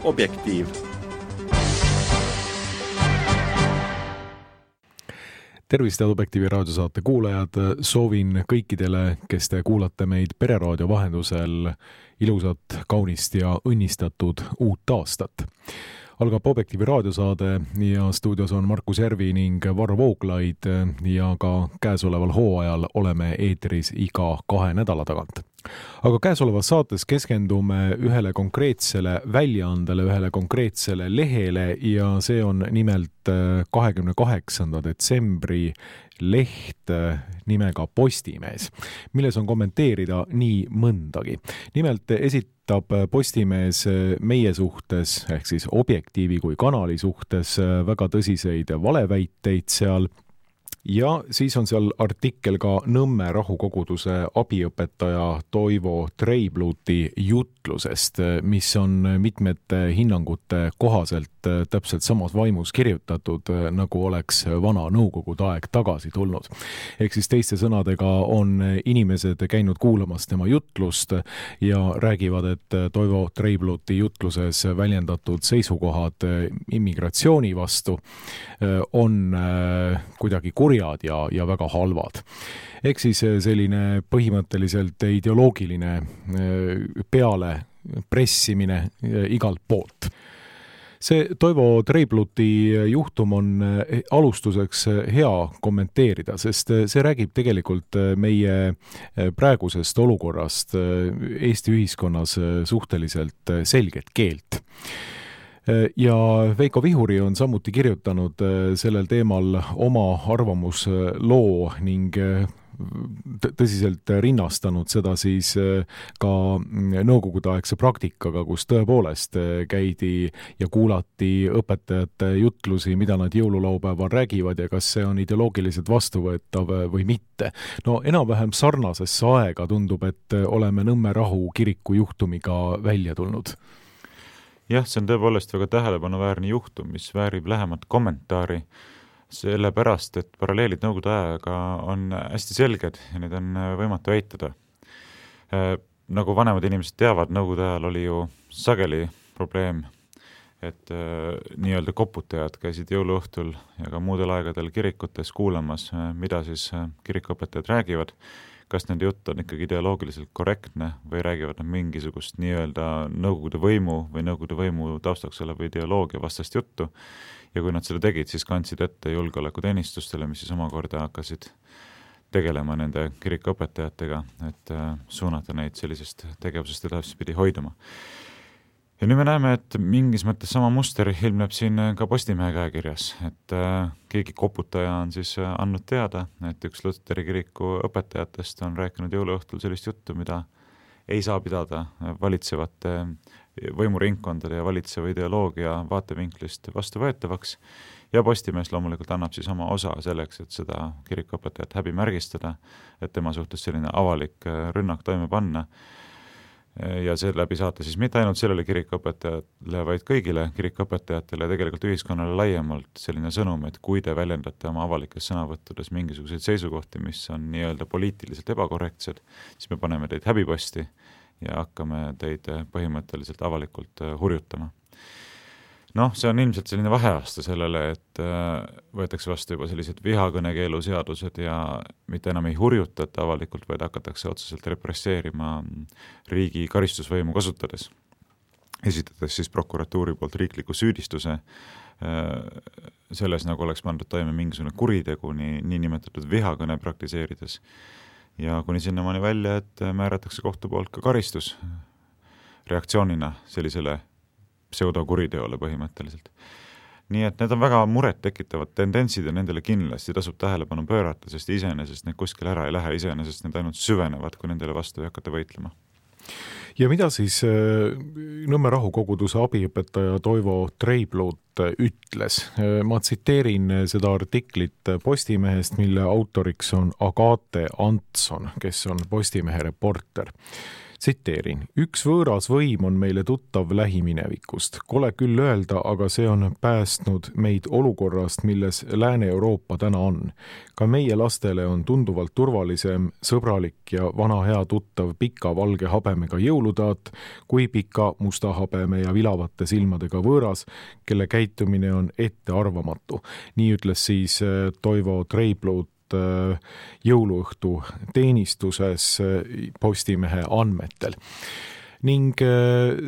Objektiiv. Tervist, Objektiivi raadiosaate kuulajad. Soovin kõikidele, kes te kuulate meid Pereraadio vahendusel, ilusat, kaunist ja õnnistatud uut aastat. Algab Objektiivi raadiosaade ja stuudios on Markus Järvi ning Varro Vooglaid ja ka käesoleval hooajal oleme eetris iga 2 nädala tagant. Aga käesolevas saates keskendume ühele konkreetsele väljaandele, ühele konkreetsele lehele ja see on nimelt 28. detsembri leht nimega Postimees, milles on kommenteerida nii mõndagi. Nimelt esitab Postimees meie suhtes, ehk siis Objektiivi kui kanali suhtes väga tõsiseid valeväiteid seal. Ja siis on seal artikkel ka Nõmme rahukoguduse abiõpetaja Toivo Treibluti jutlusest, mis on mitmete hinnangute kohaselt täpselt samas vaimus kirjutatud, nagu oleks vana nõukogude aeg tagasi tulnud. Ehk siis teiste sõnadega on inimesed käinud kuulamas tema jutlust ja räägivad, et Toivo Treibluti jutluses väljendatud seisukohad immigratsiooni vastu on kuidagi kurjad ja väga halvad. Ehk siis selline põhimõtteliselt ideoloogiline peale pressimine igalt poolt. See Toivo Treibluti juhtum on alustuseks hea kommenteerida, sest see räägib tegelikult meie praegusest olukorrast Eesti ühiskonnas suhteliselt selget keelt. Ja Veiko Vihuri on samuti kirjutanud sellel teemal oma arvamusloo ning tõsiselt rinnastanud seda siis ka nõukogudeaegse praktikaga, kus tõepoolest käidi ja kuulati õpetajate jutlusi, mida nad jõululaupäeval räägivad ja kas see on ideoloogiliselt vastuvõetav või mitte. No enam-vähem sarnasesse aega tundub, et oleme Nõmme Rahu kiriku juhtumiga välja tulnud. Jah, see on tõepoolest väga tähelepanuväärne juhtum, mis väärib lähemat kommentaari, sellepärast, et paralleelid nõukogude ajaga on hästi selged ja need on võimatu eitada. Nagu vanemad inimesed teavad, nõukogude ajal oli ju sageli probleem, et nii-öelda koputajad käisid jõuluõhtul ja ka muudel aegadel kirikutes kuulamas, mida siis kirikuõpetajad räägivad, kas nende jutt on ikkagi ideoloogiliselt korrektne või räägivad nad mingisugust nii-öelda nõukogude võimu või nõukogude võimu taustaks oleva ideoloogia vastast juttu. Ja kui nad seda tegid, siis kandsid ette julgeolekuteenistustele, mis siis omakorda hakkasid tegelema nende kirikuõpetajatega, et suunata neid sellisest tegevusest edaspidi hoiduma. Ja nüüd me näeme, et mingis mõttes sama muster ilmneb siin ka Postimehe käekirjas, et keegi koputaja on siis andnud teada, et üks Luteri kiriku õpetajatest on rääkinud jõuluõhtul sellist juttu, mida ei saa pidada valitsevate võimuringkondade ja valitseva ideoloogia vaatevinklist vastuvõetavaks ja Postimees loomulikult annab siis oma osa selleks, et seda kirikuõpetajat häbimärgistada, et tema suhtes selline avalik rünnak toime panna ja see läbi saata siis mitte ainult sellele kirikuõpetajatele, vaid kõigile kirikuõpetajatele ja tegelikult ühiskonnale laiemalt selline sõnum, et kui te väljendate oma avalikes sõnavõttudes mingisuguseid seisukohti, mis on nii-öelda poliitiliselt ebakorrektsed, siis me paneme teid häbiposti ja hakkame teid põhimõtteliselt avalikult hurjutama. See on ilmselt selline vaheaasta sellele, et võetakse vastu juba sellised vihakõnekeelu seadused ja mitte enam ei hurjutata avalikult, vaid hakatakse otseselt represseerima riigi karistusvõimu kasutades. Esitades siis prokuratuuri poolt riikliku süüdistuse selles, nagu oleks pandud toime mingisugune kuritegu, nii nimetatud vihakõne praktiseerides. Ja kuni sinnamaani välja, et määratakse kohtu poolt ka karistus reaktsioonina sellisele pseudokuriteole põhimõtteliselt. Nii et need on väga muret tekitavad tendentsid ja nendele kindlasti tasub tähelepanu pöörata, sest iseenesest need kuskil ära ei lähe, iseenesest need ainult süvenevad, kui nendele vastu ei hakata võitlema. Ja mida siis Nõmme rahukoguduse abiõpetaja Toivo Treiblut ütles? Ma tsiteerin seda artiklit Postimehest, mille autoriks on Agate Antson, kes on Postimehe reporter. Tsiteerin, üks võõras võim on meile tuttav lähiminevikust. Kole küll öelda, aga see on päästnud meid olukorrast, milles Lääne-Euroopa täna on. Ka meie lastele on tunduvalt turvalisem, sõbralik ja vana hea tuttav pika valge habemega jõulutaat, kui pika musta habeme ja vilavate silmadega võõras, kelle käitumine on ettearvamatu. Nii ütles siis Toivo Treipluut jõuluõhtu teenistuses Postimehe andmetel. Ning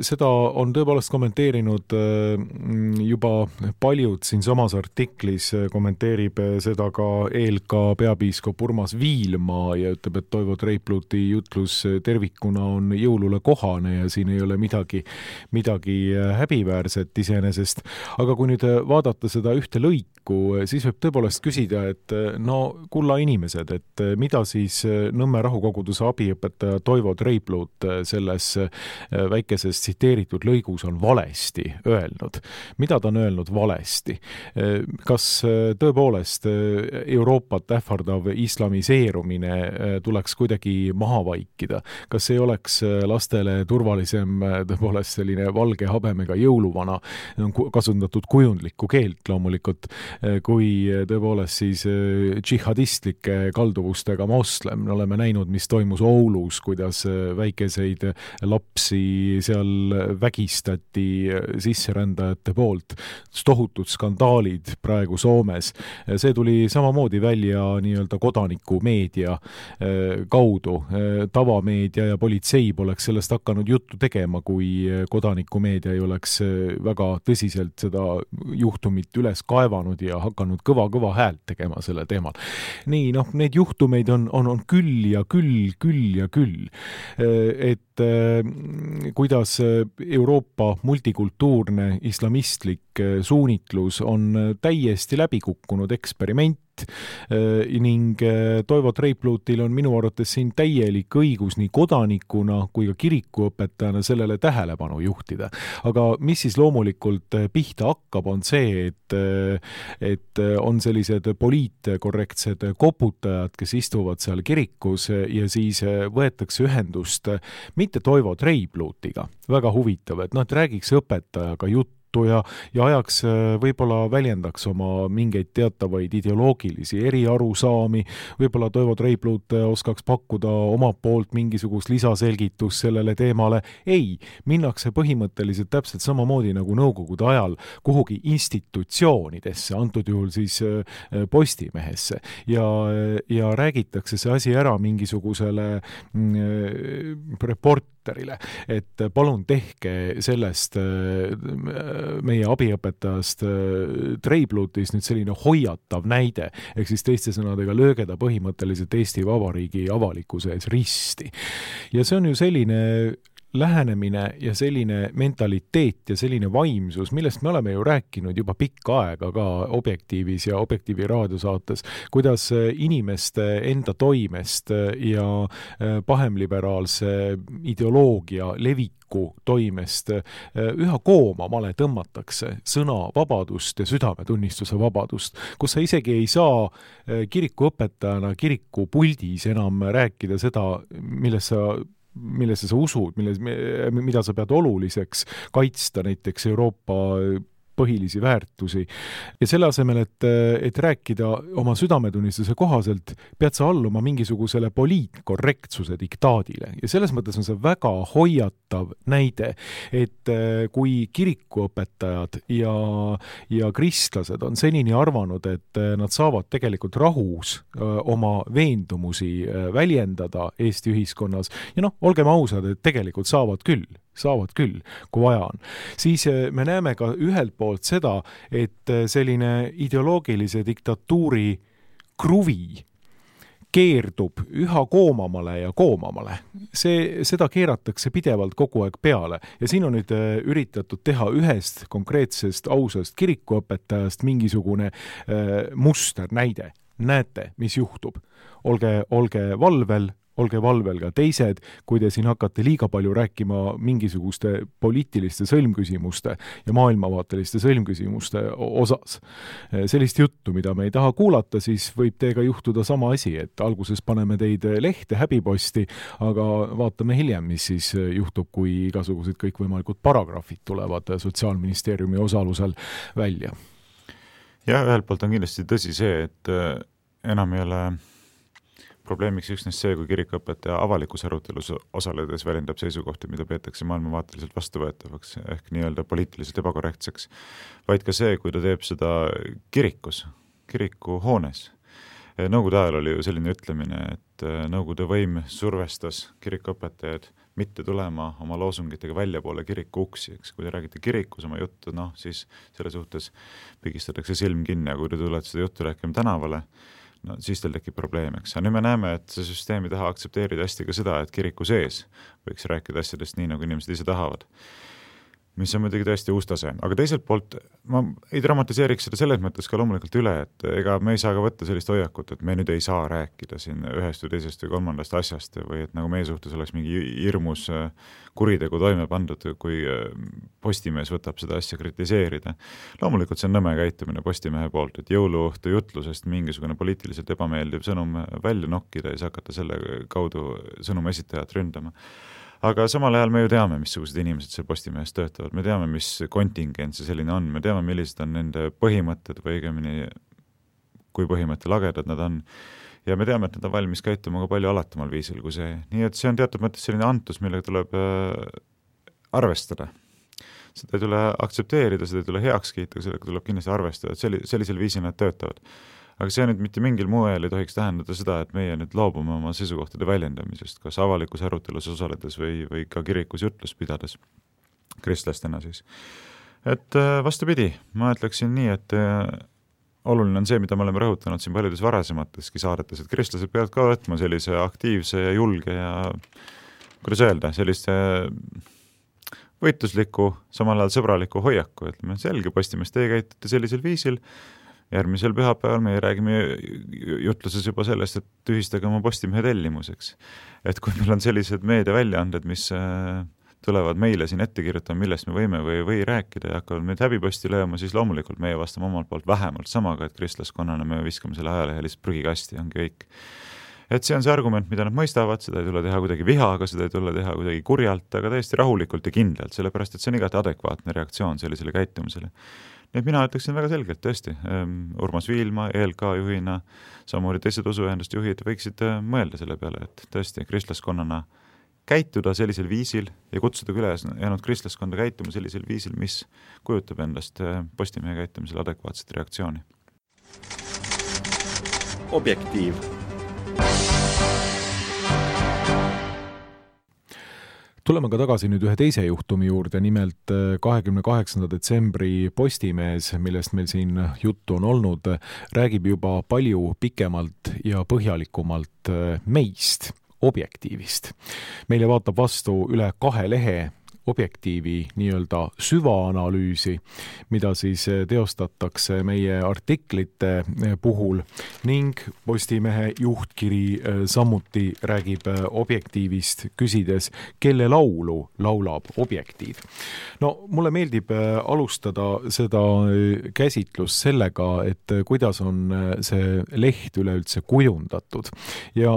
seda on tõepoolest kommenteerinud juba paljud siin samas artiklis, kommenteerib seda ka ELK peapiiskop Urmas Viilma ja ütleb, et Toivo Treipluuti jutlus tervikuna on jõulule kohane ja siin ei ole midagi häbiväärset iseenesest. Aga kui nüüd vaadata seda ühte lõiku, siis võib tõepoolest küsida, et no kulla inimesed, et mida siis Nõmme rahukoguduse abiõpetaja Toivo Treipluut selles väikeses tsiteeritud lõigus on valesti öelnud. Mida ta on öelnud valesti? Kas tõepoolest Euroopat ähvardav islamiseerumine tuleks kuidagi maha vaikida? Kas ei oleks lastele turvalisem tõepoolest selline valge habemega jõuluvana, on kasutatud kujundlikku keelt loomulikult, kui tõepoolest siis džihadistlike kalduvustega moslem? Me oleme näinud, mis toimus Oulus, kuidas väikeseid lapsi seal vägistati sisserändajate poolt. Tohutud skandaalid praegu Soomes. See tuli samamoodi välja nii-öelda kodanikumeedia kaudu. Tavameedia ja politsei poleks sellest hakanud juttu tegema, kui kodanikumeedia ei oleks väga tõsiselt seda juhtumit üles kaevanud ja hakanud kõva häält tegema selle teemal. Nii, need juhtumeid on küll ja küll. Et kuidas Euroopa multikultuurne islamistlik suunitlus on täiesti läbikukkunud eksperiment ning Toivo Treipluutil on minu arvates siin täielik õigus nii kodanikuna kui ka kirikuõpetajana sellele tähelepanu juhtida. Aga mis siis loomulikult pihta hakkab, on see, et on sellised poliitkorrektsed koputajad, kes istuvad seal kirikus ja siis võetakse ühendust mitte Toivo Treipluutiga. Väga huvitav, et räägiks õpetajaga juttu ja ajaks võib-olla väljendaks oma mingeid teatavaid ideoloogilisi eriarusaami, võib-olla Toivo Treipluut oskaks pakkuda omalt poolt mingisugust lisaselgitus sellele teemale. Ei, minnakse põhimõtteliselt täpselt samamoodi nagu nõukogude ajal kuhugi institutsioonidesse, antud juhul siis Postimehesse ja räägitakse see asi ära mingisugusele reporterile, et palun tehke sellest meie abiõpetajast Treipluutist nüüd selline hoiatav näide, ehk siis teiste sõnadega lööge ta põhimõtteliselt Eesti Vabariigi avalikkuse ees risti. Ja see on ju selline lähenemine ja selline mentaliteet ja selline vaimsus, millest me oleme ju rääkinud juba pikka aega ka Objektiivis ja Objektiivi raadiosaates, kuidas inimeste enda toimest ja pahemliberaalse ideoloogia leviku toimest üha koomamale tõmmatakse sõnavabadust ja südametunnistuse vabadust, kus sa isegi ei saa kirikuõpetajana kirikupuldis enam rääkida seda, millesse sa usud, mida sa pead oluliseks kaitsta näiteks Euroopa põhilisi väärtusi. Ja selle asemel, et rääkida oma südametunnistuse kohaselt, pead sa alluma mingisugusele poliitkorrektsuse diktaadile. Ja selles mõttes on see väga hoiatav näide, et kui kirikuõpetajad ja kristlased on senini arvanud, et nad saavad tegelikult rahus oma veendumusi väljendada Eesti ühiskonnas, ja olgem ausad, et tegelikult saavad küll, kui vaja on. Siis me näeme ka ühelt poolt seda, et selline ideoloogilise diktatuuri kruvi keerdub üha koomamale ja koomamale. Seda keeratakse pidevalt kogu aeg peale ja siin on nüüd üritatud teha ühest konkreetsest ausast kirikuõpetajast mingisugune muster näide. Näete, mis juhtub. Olge valvel, olge valvel ka teised, kui te siin hakkate liiga palju rääkima mingisuguste poliitiliste sõlmküsimuste ja maailmavaateliste sõlmküsimuste osas. Sellist juttu, mida me ei taha kuulata, siis võib teiega juhtuda sama asi, et alguses paneme teid lehte, häbiposti, aga vaatame hiljem, mis siis juhtub, kui igasugused kõikvõimalikud paragrahvid tulevad Sotsiaalministeeriumi osalusel välja. Ja ühelt poolt on kindlasti tõsi see, et enam ei ole probleemiks üksnes see, kui kirikuõpetaja avalikus arutelus osaledes väljendab seisukohti, mida peetakse maailmavaateliselt vastuvõetavaks ehk nii-öelda poliitiliselt ebakorrektseks, vaid ka see, kui ta teeb seda kirikus, kirikuhoones. Nõukogude ajal oli ju selline ütlemine, et nõukogude võim survestas kirikuõpetajaid mitte tulema oma loosungitega väljapoole kiriku uksi, eks. Kui te räägite kirikus oma juttu, siis selle suhtes pigistatakse silm kinni ja kui te tulete seda juttu rääkima tänavale, siis teil tekib probleem, eks. Nüüd me näeme, et see süsteem ei taha aktsepteerida hästi ka seda, et kiriku sees võiks rääkida asjadest nii, nagu inimesed ise tahavad. Mis on muidugi tõesti uus tase. Aga teiselt poolt ma ei dramatiseeriks seda selles mõttes ka loomulikult üle, et ega me ei saa ka võtta sellist hoiakut, et me nüüd ei saa rääkida siin ühest või teisest või kolmandast asjast või et nagu meie suhtes oleks mingi hirmus kuritegu toime pandud, kui Postimees võtab seda asja kritiseerida. Loomulikult see on nõme käitumine Postimehe poolt, et jõuluõhtu jutlusest mingisugune poliitiliselt ebameeldiv sõnum välja nokkida ja siis hakata selle kaudu sõnumi esitajat ründama. Aga samal ajal me ju teame, missugused inimesed seal Postimehes töötavad, me teame, mis kontingent see selline on, me teame, millised on nende põhimõtted või õigemini, kui põhimõttelagedad nad on. Ja me teame, et nad on valmis käituma ka palju alatamal viisil kui see. Nii et see on teatud mõttes selline antus, millega tuleb arvestada. Seda ei tule aktsepteerida, seda ei tule heaks kiita, sellega tuleb kindlasti arvestada, et sellisel viisil nad töötavad. Aga see nüüd mitte mingil moel ei tohiks tähendada seda, et meie nüüd loobume oma seisukohtade väljendamisest, kas avalikus arutelus osaledes või ka kirikus jutlust pidades, kristlastena siis. Et vastupidi, ma ütleksin nii, et oluline on see, mida me oleme rõhutanud siin paljudes varasemateski saadetes, et kristlased peavad ka võtma sellise aktiivse ja julge ja, kuidas öelda, sellise võitlusliku, samal ajal sõbraliku hoiaku, ütleme, selge Postimees, teie käitute sellisel viisil. Järgmisel pühapäeval me räägime jutluses juba sellest, et tühistage oma Postimehe tellimuseks. Et kui meil on sellised meediaväljaanded, mis tulevad meile siin ette kirjutama, millest me võime või rääkida ja hakkavad meid häbiposti lööma, siis loomulikult meie vastame omalt poolt vähemalt samaga, et kristlaskonnana me viskame selle ajalehelist prügikasti, ongi kõik. Et see on see argument, mida nad mõistavad, seda ei tule teha kuidagi vihaga, seda ei tule teha kuidagi kurjalt, aga täiesti rahulikult ja kindlalt, sellepärast, et see on igati adekvaatne reaktsioon sellisele käitumisele. Nii et mina ütleksin väga selgelt, tõesti, Urmas Viilma, ELK juhina, samamoodi teised usuühendust juhid võiksid mõelda selle peale, et tõesti kristlaskonnana käituda sellisel viisil ja kutsuda üles jäänud kristlaskonda käituma sellisel viisil, mis kujutab endast Postimehe käitumisel adekvaatset reaktsiooni. Objektiiv. Tuleme ka tagasi nüüd ühe teise juhtumi juurde, nimelt 28. detsembri Postimees, millest meil siin juttu on olnud, räägib juba palju pikemalt ja põhjalikumalt meist, Objektiivist. Meile vaatab vastu üle 2 lehe Objektiivi nii-öelda süvaanalüüsi, mida siis teostatakse meie artiklite puhul ning Postimehe juhtkiri samuti räägib Objektiivist, küsides, kelle laulu laulab Objektiiv. No mulle meeldib alustada seda käsitlust sellega, et kuidas on see leht üleüldse kujundatud ja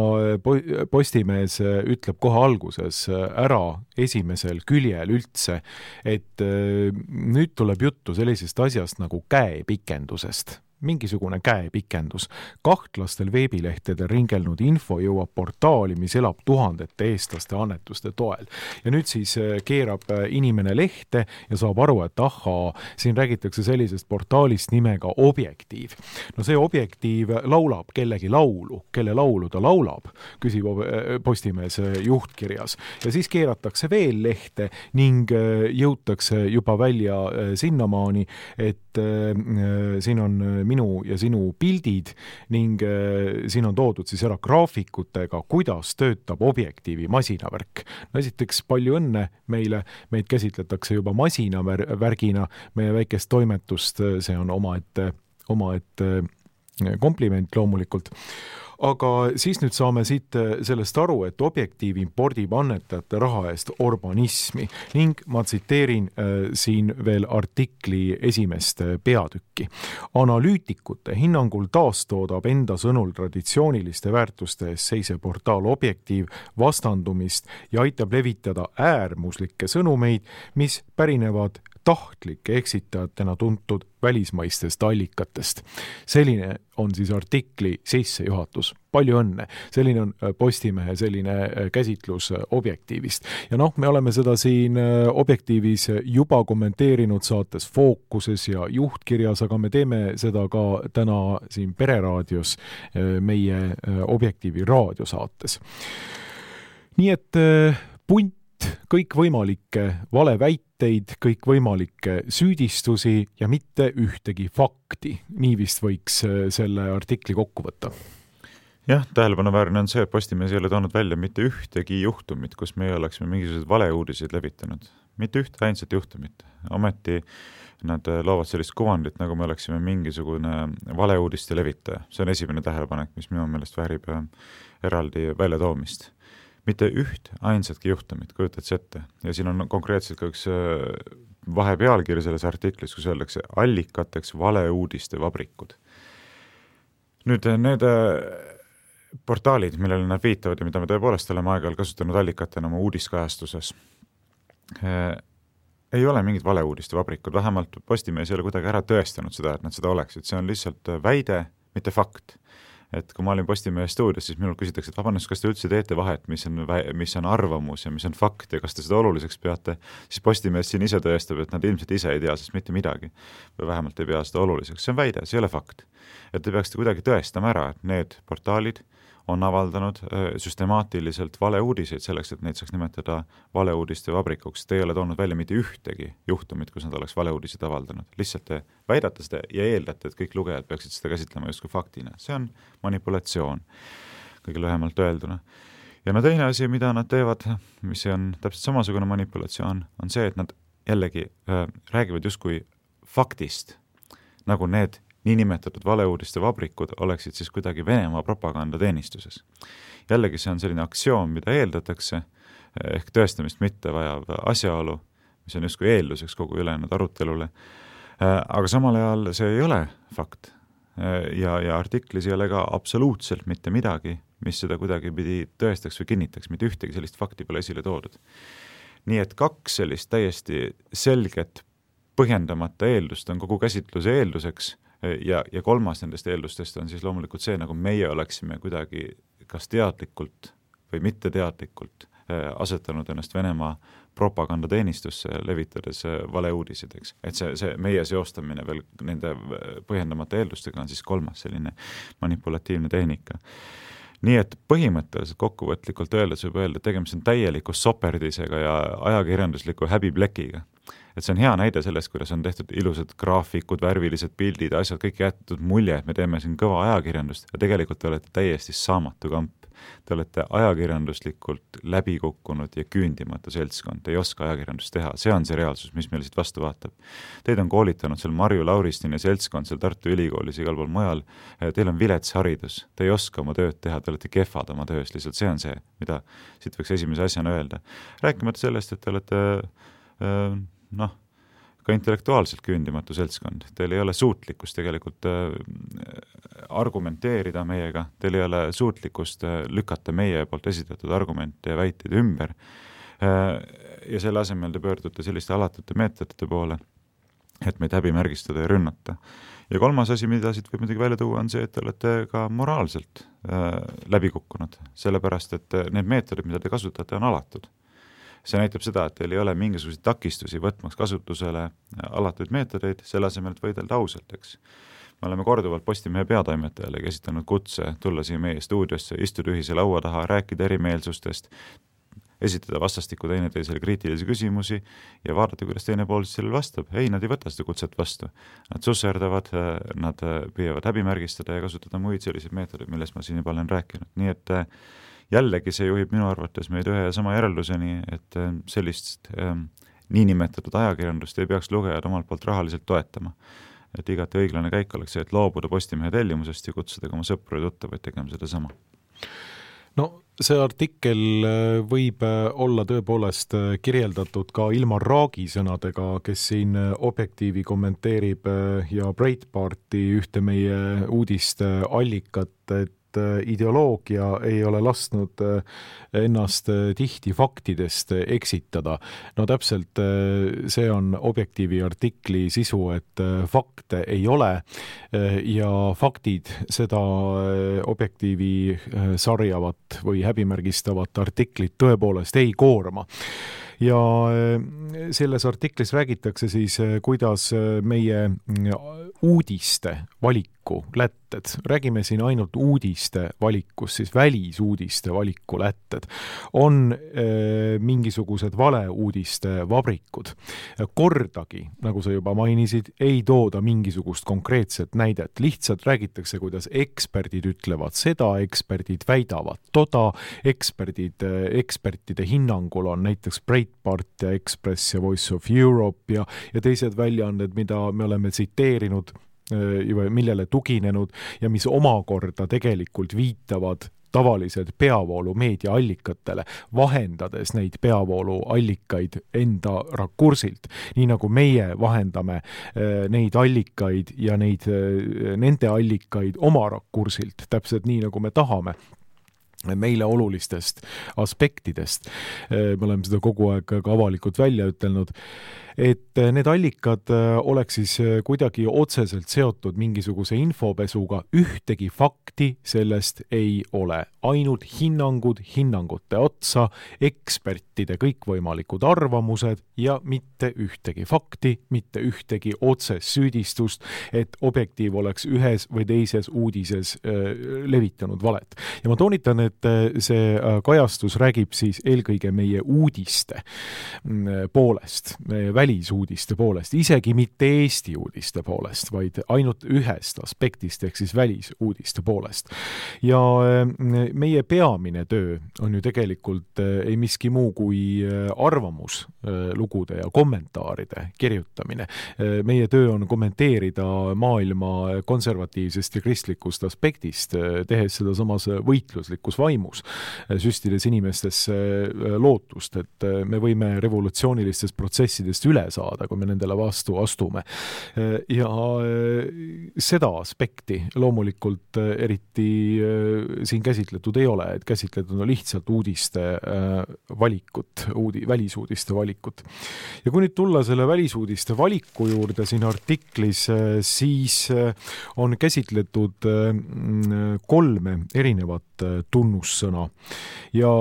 Postimees ütleb kohe alguses ära esimesel küljel üldse, et nüüd tuleb juttu sellisest asjast nagu käepikendusest. Mingisugune käepikendus. Kahtlastel veebilehtedel ringelnud info jõuab portaali, mis elab tuhandete eestlaste annetuste toel. Ja nüüd siis keerab inimene lehte ja saab aru, et ahaa, siin räägitakse sellisest portaalist nimega Objektiiv. No see Objektiiv laulab kellegi laulu, kelle laulu ta laulab, küsib Postimees juhtkirjas. Ja siis keeratakse veel lehte ning jõutakse juba välja sinnamaani, et siin on minu ja sinu pildid ning siin on toodud siis ära graafikutega, kuidas töötab Objektiivi masinavärk. No esiteks palju õnne meile, meid käsitletakse juba masinavärgina, meie väikest toimetust, see on omaette kompliment loomulikult. Aga siis nüüd saame siit sellest aru, et Objektiiv impordib annetajate raha eest urbanismi ning ma tsiteerin siin veel artikli esimest peatükki. Analüütikute hinnangul taastoodab enda sõnul traditsiooniliste väärtuste eest seisev portaal Objektiiv vastandumist ja aitab levitada äärmuslikke sõnumeid, mis pärinevad tahtlike eksitajatena tuntud välismaistest allikatest. Selline on siis artikli sissejuhatus. Palju õnne. Selline on Postimehe selline käsitlus Objektiivist. Ja me oleme seda siin Objektiivis juba kommenteerinud saates Fookuses ja juhtkirjas, aga me teeme seda ka täna siin Pereraadios meie Objektiivi raadiosaates. Nii et punt kõikvõimalikke valeväiteid, kõikvõimalikke süüdistusi ja mitte ühtegi fakti. Nii vist võiks selle artikli kokku võtta. Jah, tähelepanuväärne on see, et Postimees ei ole toonud välja mitte ühtegi juhtumit, kus meie oleksime mingisuguseid valeuudiseid levitanud. Mitte ühte ainsat juhtumit. Ometi nad loovad sellist kuvandit, nagu me oleksime mingisugune valeuudiste levitaja. See on esimene tähelepanek, mis minu meelest väärib eraldi väljatoomist. Mitte üht ainsatki juhtumit, kujutad see ette. Ja siin on konkreetselt ka üks vahepealkiri selles artiklis, kus öeldakse allikateks valeuudiste vabrikud. Nüüd need portaalid, millele nad viitavad ja mida me tõepoolest oleme aeg-ajalt kasutanud allikatena oma uudiskajastuses, ei ole mingid valeuudiste vabrikud, vähemalt Postimees ei ole kuidagi ära tõestanud seda, et nad seda oleksid. See on lihtsalt väide, mitte fakt. Et kui ma olin Postimehe stuudios, siis minul küsitakse, et vabandust, kas te üldse teete vahet, mis on arvamus ja mis on fakt ja kas te seda oluliseks peate, siis Postimees siin ise tõestab, et nad ilmselt ise ei tea sest mitte midagi või vähemalt ei pea seda oluliseks. See on väide, see ei ole fakt. Et te peaksite kuidagi tõestama ära, et need portaalid on avaldanud süstemaatiliselt valeuudiseid selleks, et neid saaks nimetada valeuudiste vabrikuks. Te ei ole toonud välja mitte ühtegi juhtumit, kus nad oleks valeuudiseid avaldanud. Lihtsalt te väidate seda ja eeldate, et kõik lugejad peaksid seda käsitlema justkui faktina. See on manipulatsioon, kõige lühemalt öelduna. Ja teine asi, mida nad teevad, mis on täpselt samasugune manipulatsioon, on see, et nad jällegi räägivad justkui faktist, nagu need niinimetatud valeuudiste vabrikud oleksid siis kuidagi Venemaa propagandateenistuses. Jällegi see on selline aktsioon, mida eeldatakse, ehk tõestamist mitte vajav asjaolu, mis on justkui eelduseks kogu ülejäänud arutelule. Aga samal ajal see ei ole fakt. Ja artiklis ei ole ka absoluutselt mitte midagi, mis seda kuidagi pidi tõestaks või kinnitaks, mitte ühtegi sellist fakti pole esile toodud. Nii et kaks sellist täiesti selget põhjendamata eeldust on kogu käsitluse eelduseks. Ja kolmas nendest eeldustest on siis loomulikult see, nagu meie oleksime kuidagi kas teadlikult või mitte teadlikult asetanud ennast Venemaa propagandateenistusse levitades valeuudisideks. Et see meie seostamine veel nende põhjendamata eeldustega on siis kolmas selline manipulatiivne tehnika. Nii et põhimõtteliselt kokkuvõtlikult öeldes võib öelda, et tegemist on täieliku soperdisega ja ajakirjandusliku häbiplekiga. Et see on hea näide sellest, kuidas on tehtud ilusad graafikud, värvilised pildid, asjad, kõik jäetud mulje, et me teeme siin kõva ajakirjandust ja tegelikult te olete täiesti saamatu kamp. Te olete ajakirjanduslikult läbikukkunud ja küündimatu seltskond. Te ei oska ajakirjandust teha. See on see reaalsus, mis meil siit vastu vaatab. Teid on koolitanud seal Marju Lauristin ja seltskond seal Tartu Ülikoolis igal pool mujal. Teil on vilets haridus. Te ei oska oma tööd teha, te olete kehvad oma töös. Lihtsalt see on see, mida siit võiks esimese asjana öelda. Rääkimata sellest, et te olete ka intellektuaalselt küündimatu seltskond. Teil ei ole suutlikkust tegelikult argumenteerida meiega, teil ei ole suutlikkust lükata meie poolt esitatud argumente ja väiteid ümber. Ja selle asemel te pöördute selliste alatute meetodite poole, et meid häbimärgistada ja rünnata. Ja kolmas asi, mida siit võib muidugi välja tuua, on see, et te olete ka moraalselt läbikukkunud, sellepärast, et need meetodid, mida te kasutate, on alatud. See näitab seda, et teil ei ole mingisuguseid takistusi võtmaks kasutusele alatuid meetodeid, selle asemel, et võidelda ausalt, eks. Me oleme korduvalt Postimehe peatoimetajale esitanud kutse tulla siia meie stuudiosse, istuda ühise laua taha, rääkida erimeelsustest, esitada vastastikku teineteisele kriitilisi küsimusi ja vaadata, kuidas teine pool sellele vastab. Ei, nad ei võta seda kutset vastu. Nad susserdavad, nad püüavad häbimärgistada ja kasutada muid selliseid meetodeid, millest ma siin juba olen rääkinud. Nii et jällegi see juhib minu arvates meid ühe ja sama järelduseni, et sellist niinimetatud ajakirjandust ei peaks lugejad omalt poolt rahaliselt toetama. et igati õiglane käik oleks see, et loobuda Postimehe tellimusest ja kutsuda oma sõpru ja tuttavaid tegema seda sama. No see artikkel võib olla tõepoolest kirjeldatud ka Ilmar Raagi sõnadega, kes siin Objektiivi kommenteerib ja Breitbarti ühte meie uudiste allikat, et ideoloogia ei ole lasknud ennast tihti faktidest eksitada. No täpselt see on Objektiivi artikli sisu, et fakte ei ole ja faktid seda Objektiivi sarjavat või häbimärgistavat artiklit tõepoolest ei koorma. Ja selles artiklis räägitakse siis, kuidas meie uudiste valiku lätted, räägime siin ainult uudiste valikus, siis välisuudiste valiku lätted, on mingisugused valeuudiste vabrikud. Kordagi, nagu sa juba mainisid, ei tooda mingisugust konkreetset näidet. Lihtsalt räägitakse, kuidas eksperdid ütlevad seda, eksperdid väidavad toda, ekspertide hinnangul on näiteks Breitbart ja Express ja Voice of Europe ja teised väljaanded, mida me oleme tsiteerinud, millele tuginenud ja mis omakorda tegelikult viitavad tavaliselt peavoolu meediaallikatele, vahendades neid peavoolu allikaid enda rakursilt, nii nagu meie vahendame neid allikaid ja nende allikaid oma rakursilt, täpselt nii nagu me tahame meile olulistest aspektidest. Me oleme seda kogu aeg ka avalikult välja ütelnud, et need allikad oleks siis kuidagi otseselt seotud mingisuguse infopesuga, ühtegi fakti sellest ei ole. Ainult hinnangud hinnangute otsa, ekspertide kõikvõimalikud arvamused ja mitte ühtegi fakti, mitte ühtegi otsest süüdistust, et Objektiiv oleks ühes või teises uudises levitanud valet. Ja ma toonitan, et see kajastus räägib siis eelkõige meie uudiste poolest, välisuudiste poolest, isegi mitte Eesti uudiste poolest, vaid ainult ühest aspektist, ehk siis välisuudiste poolest. Ja meie peamine töö on ju tegelikult ei miski muu kui arvamuslugude ja kommentaaride kirjutamine. Meie töö on kommenteerida maailma konservatiivsest ja kristlikust aspektist, tehes seda samas võitluslikus vaimus, süstides inimestesse lootust, et me võime revolutsioonilistest protsessidest üle saada, kui me nendele vastu astume. Ja seda aspekti loomulikult eriti siin käsitletud ei ole, et käsitletud on lihtsalt uudiste valikut, välisuudiste valikut. Ja kui nüüd tulla selle välisuudiste valiku juurde siin artiklis, siis on käsitletud 3 erinevat tunnussõna ja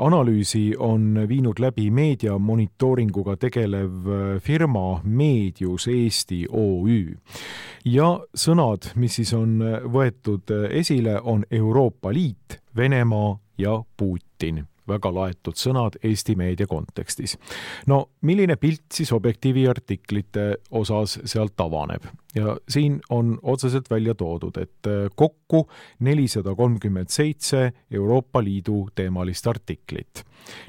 analüüsi on viinud läbi meediamonitooringuga tegelev firma Medius Eesti OÜ. Ja sõnad, mis siis on võetud esile, on Euroopa Liit, Venemaa ja Putin. Väga laetud sõnad Eesti meedia kontekstis. No, milline pilt siis Objektiivi artiklite osas sealt avaneb? Ja siin on otseselt välja toodud, et kokku 437 Euroopa Liidu teemalist artiklit.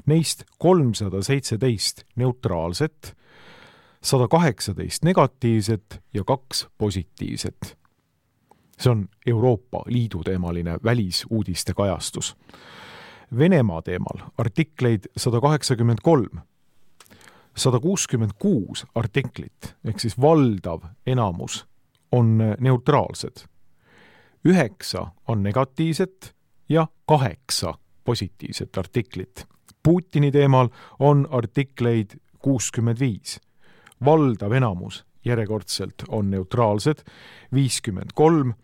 Neist 317 neutraalset, 118 negatiivset ja 2 positiivset. See on Euroopa Liidu teemaline välisuudiste kajastus. Venemaa teemal artikleid 183, 166 artiklit, ehk siis valdav enamus on neutraalsed. 9 on negatiivset ja 8 positiivset artiklit. Putini teemal on artikleid 65. Valdav enamus järjekordselt on neutraalsed, 53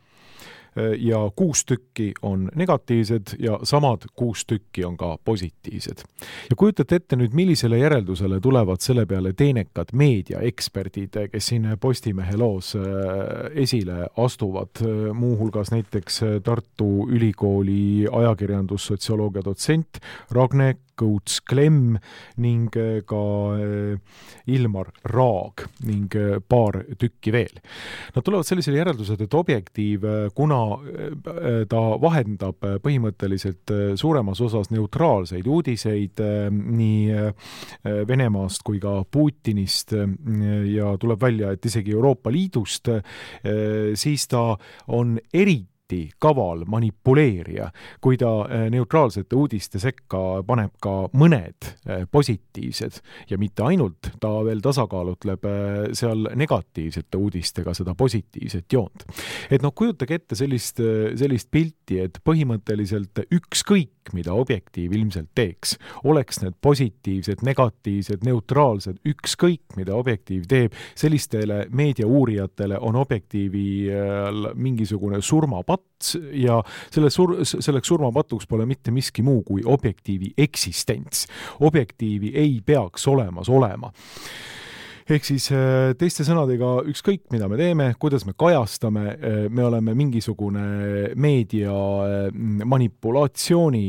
ja 6 tükki on negatiivsed ja samad 6 tükki on ka positiivsed. Ja kujutate ette nüüd, millisele järeldusele tulevad selle peale teenekad meediaeksperdid, kes siin Postimehe loos esile astuvad, muuhulgas näiteks Tartu Ülikooli ajakirjandussotsioloogia dotsent Ragne Kõuts Klemm ning ka Ilmar Raag ning paar tükki veel. Nad tulevad sellisele järeldused, et Objektiiv, kuna ta vahendab põhimõtteliselt suuremas osas neutraalseid uudiseid nii Venemaast kui ka Putinist ja tuleb välja, et isegi Euroopa Liidust, siis ta on eriti kaval manipuleerija, kui ta neutraalsete uudiste sekka paneb ka mõned positiivsed ja mitte ainult, ta veel tasakaalutleb seal negatiivsete uudistega seda positiivset joont. Et kujutage ette sellist pilti, et põhimõtteliselt ükskõik, mida Objektiiv ilmselt teeks, oleks need positiivsed, negatiivsed, neutraalsed, ükskõik, mida Objektiiv teeb, sellistele meediauurijatele on Objektiivi mingisugune surmapats ja selleks surmapatuks pole mitte miski muu kui Objektiivi eksistents. Objektiivi ei peaks olemas olema. Ehk siis teiste sõnadega ükskõik, mida me teeme, kuidas me kajastame, me oleme mingisugune meedia manipulatsiooni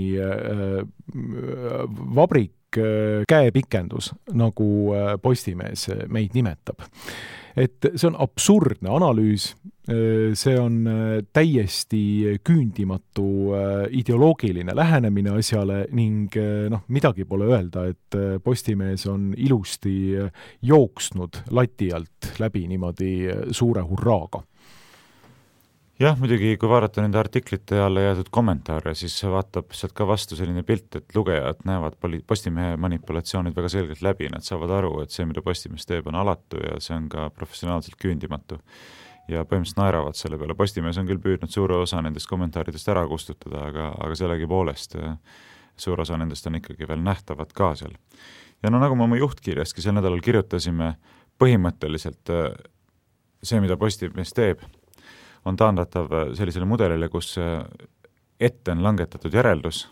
vabrik, käepikendus, nagu Postimees meid nimetab. Et see on absurdne analüüs, see on täiesti küündimatu ideoloogiline lähenemine asjale ning midagi pole öelda, et Postimees on ilusti jooksnud lati alt läbi niimoodi suure hurraaga. Jah, muidugi, kui vaadata nende artiklite alla jäädud kommentaare, siis vaatab sealt ka vastu selline pilt, et lugejad näevad Postimehe manipulatsioonid väga selgelt läbi, nad saavad aru, et see, mida Postimees teeb, on alatu ja see on ka professionaalselt küündimatu. Ja põhimõtteliselt naeravad selle peale. Postimees on küll püüdnud suure osa nendest kommentaaridest ära kustutada, aga sellegi poolest suur osa nendest on ikkagi veel nähtavad ka seal. Ja nagu me oma juhtkirjaski sel nädalal kirjutasime, põhimõtteliselt see, mida Postimees teeb, on taandatav sellisele mudelile, kus ette on langetatud järeldus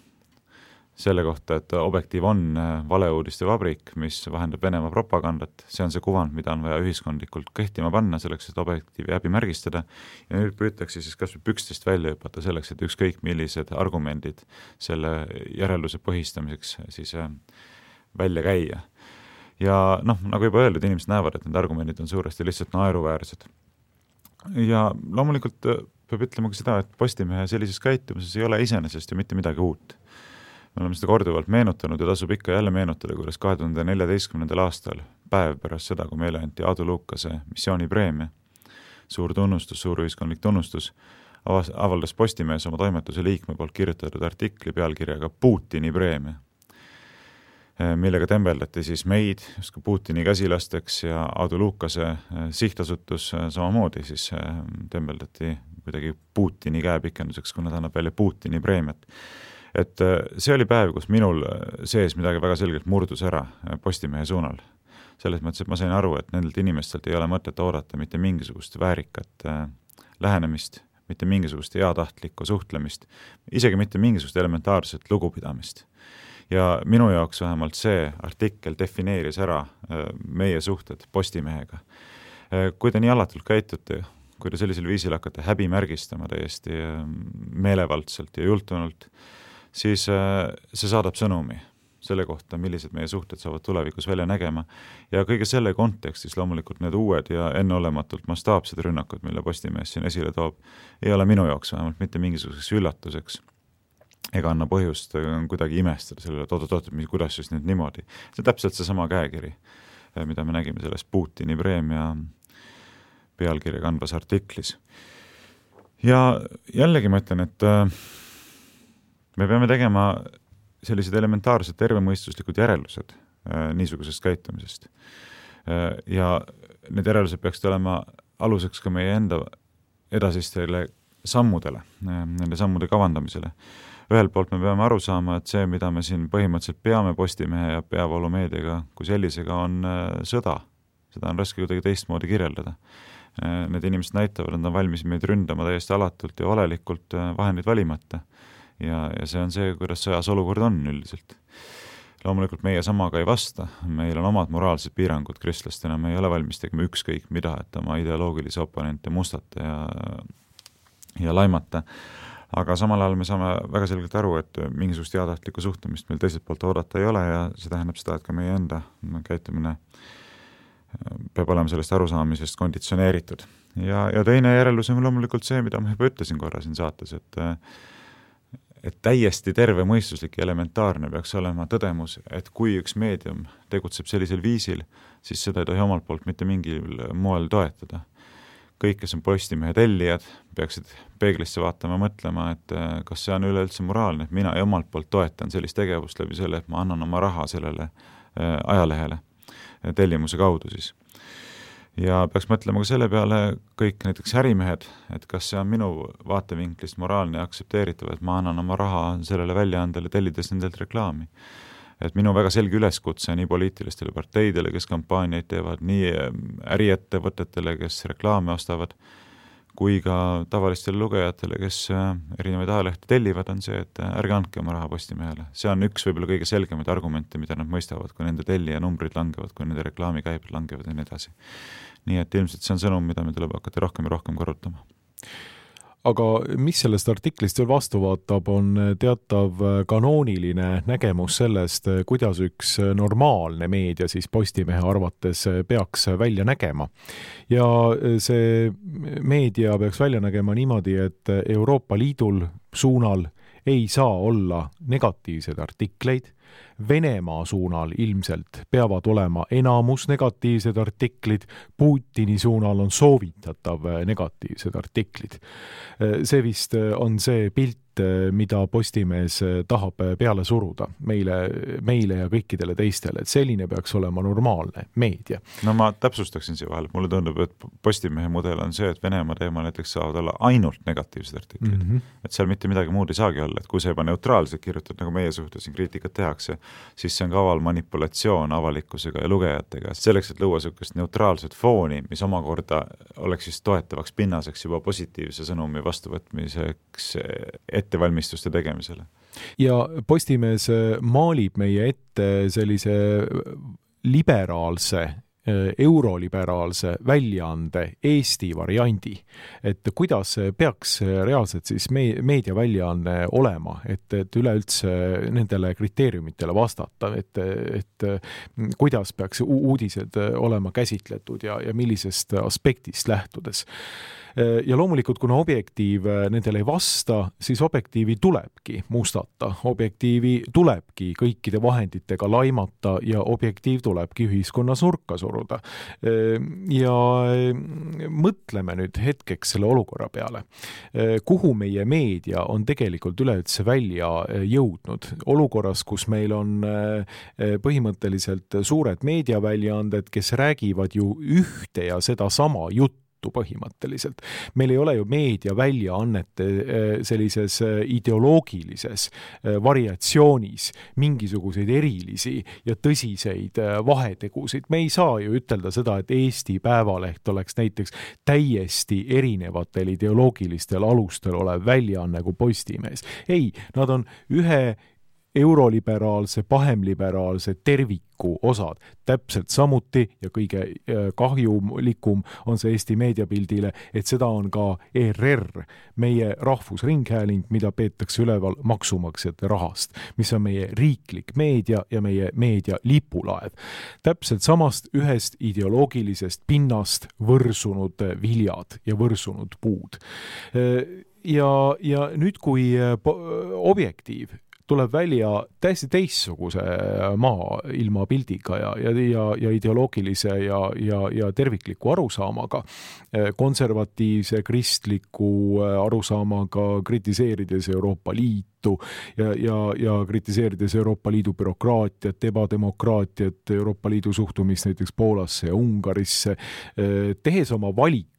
selle kohta, et Objektiiv on valeuudiste vabrik, mis vahendab Venemaa propagandat. See on see kuvand, mida on vaja ühiskondlikult kehtima panna selleks, et Objektiivi häbimärgistada. Ja nüüd püütakse siis kas või pükstest välja hüpata selleks, et ükskõik millised argumendid selle järelduse põhistamiseks siis välja käia. Ja nagu juba öeldud, inimesed näevad, et need argumendid on suuresti lihtsalt naeruväärsed. Ja loomulikult peab ütlema ka seda, et Postimehe sellises käitumises ei ole iseenesest ju mitte midagi uut. Me oleme seda korduvalt meenutanud ja tasub ikka jälle meenutada, kuidas 2014. aastal, päev pärast seda, kui meile anti Aadu Luukase missioonipreemia, suur tunnustus, suur ühiskondlik tunnustus, avaldas Postimees oma toimetuse liikme poolt kirjutatud artikli pealkirjaga Putini preemia, millega tembeldati siis meid justkui Putini käsilasteks ja Aadu Luukase sihtasutus samamoodi siis tembeldati kuidagi Putini käepikenduseks, kuna ta annab välja Putini preemiat. Et see oli päev, kus minul sees midagi väga selgelt murdus ära Postimehe suunal. Selles mõttes, et ma sain aru, et nendelt inimestelt ei ole mõtet oodata mitte mingisugust väärikat lähenemist, mitte mingisugust heatahtlikku suhtlemist, isegi mitte mingisugust elementaarset lugupidamist. Ja minu jaoks vähemalt see artikkel defineeris ära meie suhted Postimehega. Kui te nii alatult käitute, kui te sellisel viisil hakkate häbimärgistama täiesti meelevaldselt ja jultunult, siis see saadab sõnumi selle kohta, millised meie suhted saavad tulevikus välja nägema. Ja kõige selle kontekstis loomulikult need uued ja enneolematult mastaapsed rünnakud, mille Postimees siin esile toob, ei ole minu jaoks vähemalt mitte mingisuguseks üllatuseks. Ega anna põhjust kuidagi imestada sellele, et kuidas siis nüüd niimoodi. See on täpselt see sama käekiri, mida me nägime selles Putini preemia pealkirja kandvas artiklis. Ja jällegi ma ütlen, et me peame tegema sellised elementaarsed tervemõistuslikud järeldused niisugusest käitumisest. Ja need järeldused peaksid olema aluseks ka meie enda edasistele sammudele, nende sammude kavandamisele. Ühelt poolt me peame aru saama, et see, mida me siin põhimõtteliselt peame Postimehe ja peavoolumeediaga kui sellisega, on sõda. Seda on raske kuidagi teistmoodi kirjeldada. Need inimesed näitavad, et nad on valmis meid ründama täiesti alatult ja valelikult vahendid valimata. Ja see on see, kuidas sõjas olukord on üldiselt. Loomulikult meie samaga ei vasta. Meil on omad moraalsed piirangud kristlastena. Me ei ole valmis tegema ükskõik mida, et oma ideoloogilisi oponente mustata ja laimata. aga samal ajal me saame väga selgelt aru, et mingisugust heatahtlikku suhtumist meil teiselt poolt oodata ei ole ja see tähendab seda, et ka meie enda käitumine peab olema sellest arusaamisest konditsioneeritud. Ja teine järeldus on loomulikult see, mida ma juba ütlesin korra siin saates, et täiesti terve mõistuslik ja elementaarne peaks olema tõdemus, et kui üks meedium tegutseb sellisel viisil, siis seda ei tohi omalt poolt mitte mingil moel toetada. Kõik, kes on Postimehe tellijad, peaksid peeglisse vaatama, mõtlema, et kas see on üleüldse moraalne, et mina omalt poolt toetan sellist tegevust läbi selle, et ma annan oma raha sellele ajalehele tellimuse kaudu siis. Ja peaks mõtlema ka selle peale kõik näiteks ärimehed, et kas see on minu vaatevinklist moraalne ja aktsepteeritav, et ma annan oma raha sellele väljaandele tellides nendelt reklaami. Et minu väga selge üleskutse nii poliitilistele parteidele, kes kampaaniaid teevad, nii äriettevõtetele, kes reklaame ostavad, kui ka tavalistele lugejatele, kes erinevaid ajalehte tellivad, on see, et ärge andke oma raha Postimehele. See on üks võib-olla kõige selgemaid argumente, mida nad mõistavad, kui nende tellija numbrid langevad, kui nende reklaamikäibed langevad ja nii edasi. Nii et ilmselt see on sõnum, mida me tuleb hakata rohkem ja rohkem korrutama. Aga mis sellest artiklist veel vastu vaatab, on teatav kanooniline nägemus sellest, kuidas üks normaalne meedia siis Postimehe arvates peaks välja nägema. Ja see meedia peaks välja nägema niimoodi, et Euroopa Liidul suunal ei saa olla negatiivseid artikleid, Venemaa suunal ilmselt peavad olema enamus negatiivsed artiklid, Putini suunal on soovitatav negatiivsed artiklid. See vist on see pilt, mida Postimees tahab peale suruda meile ja kõikidele teistele, et selline peaks olema normaalne meedia. No ma täpsustaksin siia vahel, mulle tundub, et Postimehe mudel on see, et Venemaa teema näiteks saavad olla ainult negatiivsed artiklid. Et seal mitte midagi muud ei saagi olla, et kui see juba neutraalselt kirjutad, nagu meie suhtes siin kriitikat tehakse, siis see on kaval manipulatsioon avalikkusega ja lugejatega. Selleks, et luua sellist neutraalset fooni, mis omakorda oleks siis toetavaks pinnaseks juba positiivse sõnumi vastuvõtmiseks ettevalmistuste tegemisele. Ja Postimees maalib meie ette sellise liberaalse, euroliberaalse väljaande Eesti variandi, et kuidas peaks reaalselt siis meediaväljaanne olema, et üleüldse nendele kriteeriumitele vastata, et kuidas peaks uudised olema käsitletud ja millisest aspektist lähtudes. Ja loomulikult, kuna objektiiv nendele ei vasta, siis objektiivi tulebki mustata, objektiivi tulebki kõikide vahenditega laimata ja objektiiv tulebki ühiskonnas nurka suruda. Ja mõtleme nüüd hetkeks selle olukorra peale. Kuhu meie meedia on tegelikult üleüldse välja jõudnud? Olukorras, kus meil on põhimõtteliselt suured meediaväljaanded, kes räägivad ju ühte ja seda sama juttu põhimõtteliselt. Meil ei ole ju meediaväljaannete sellises ideoloogilises variatsioonis mingisuguseid erilisi ja tõsiseid vahetegusid. Me ei saa ju ütelda seda, et Eesti Päevaleht oleks näiteks täiesti erinevatel ideoloogilistel alustel olev väljaanne kui Postimees. Ei, nad on ühe euroliberaalse, pahemliberaalse terviku osad. Täpselt samuti ja kõige kahjulikum on see Eesti meediapildile, et seda on ka ERR, meie rahvusringhääling, mida peetakse üleval maksumaksjate rahast, mis on meie riiklik meedia ja meie meedia lipulaev. Täpselt samast ühest ideoloogilisest pinnast võrsunud viljad ja võrsunud puud. Ja nüüd, kui objektiiv tuleb välja täiesti teistsuguse maailma pildiga ja ideoloogilise ja tervikliku arusaamaga, konservatiivse, kristliku arusaamaga, kritiseerides Euroopa Liitu ja kritiseerides Euroopa Liidu bürokraatiat, ebademokraatiat, Euroopa Liidu suhtumist näiteks Poolasse ja Ungarisse, tehes oma valik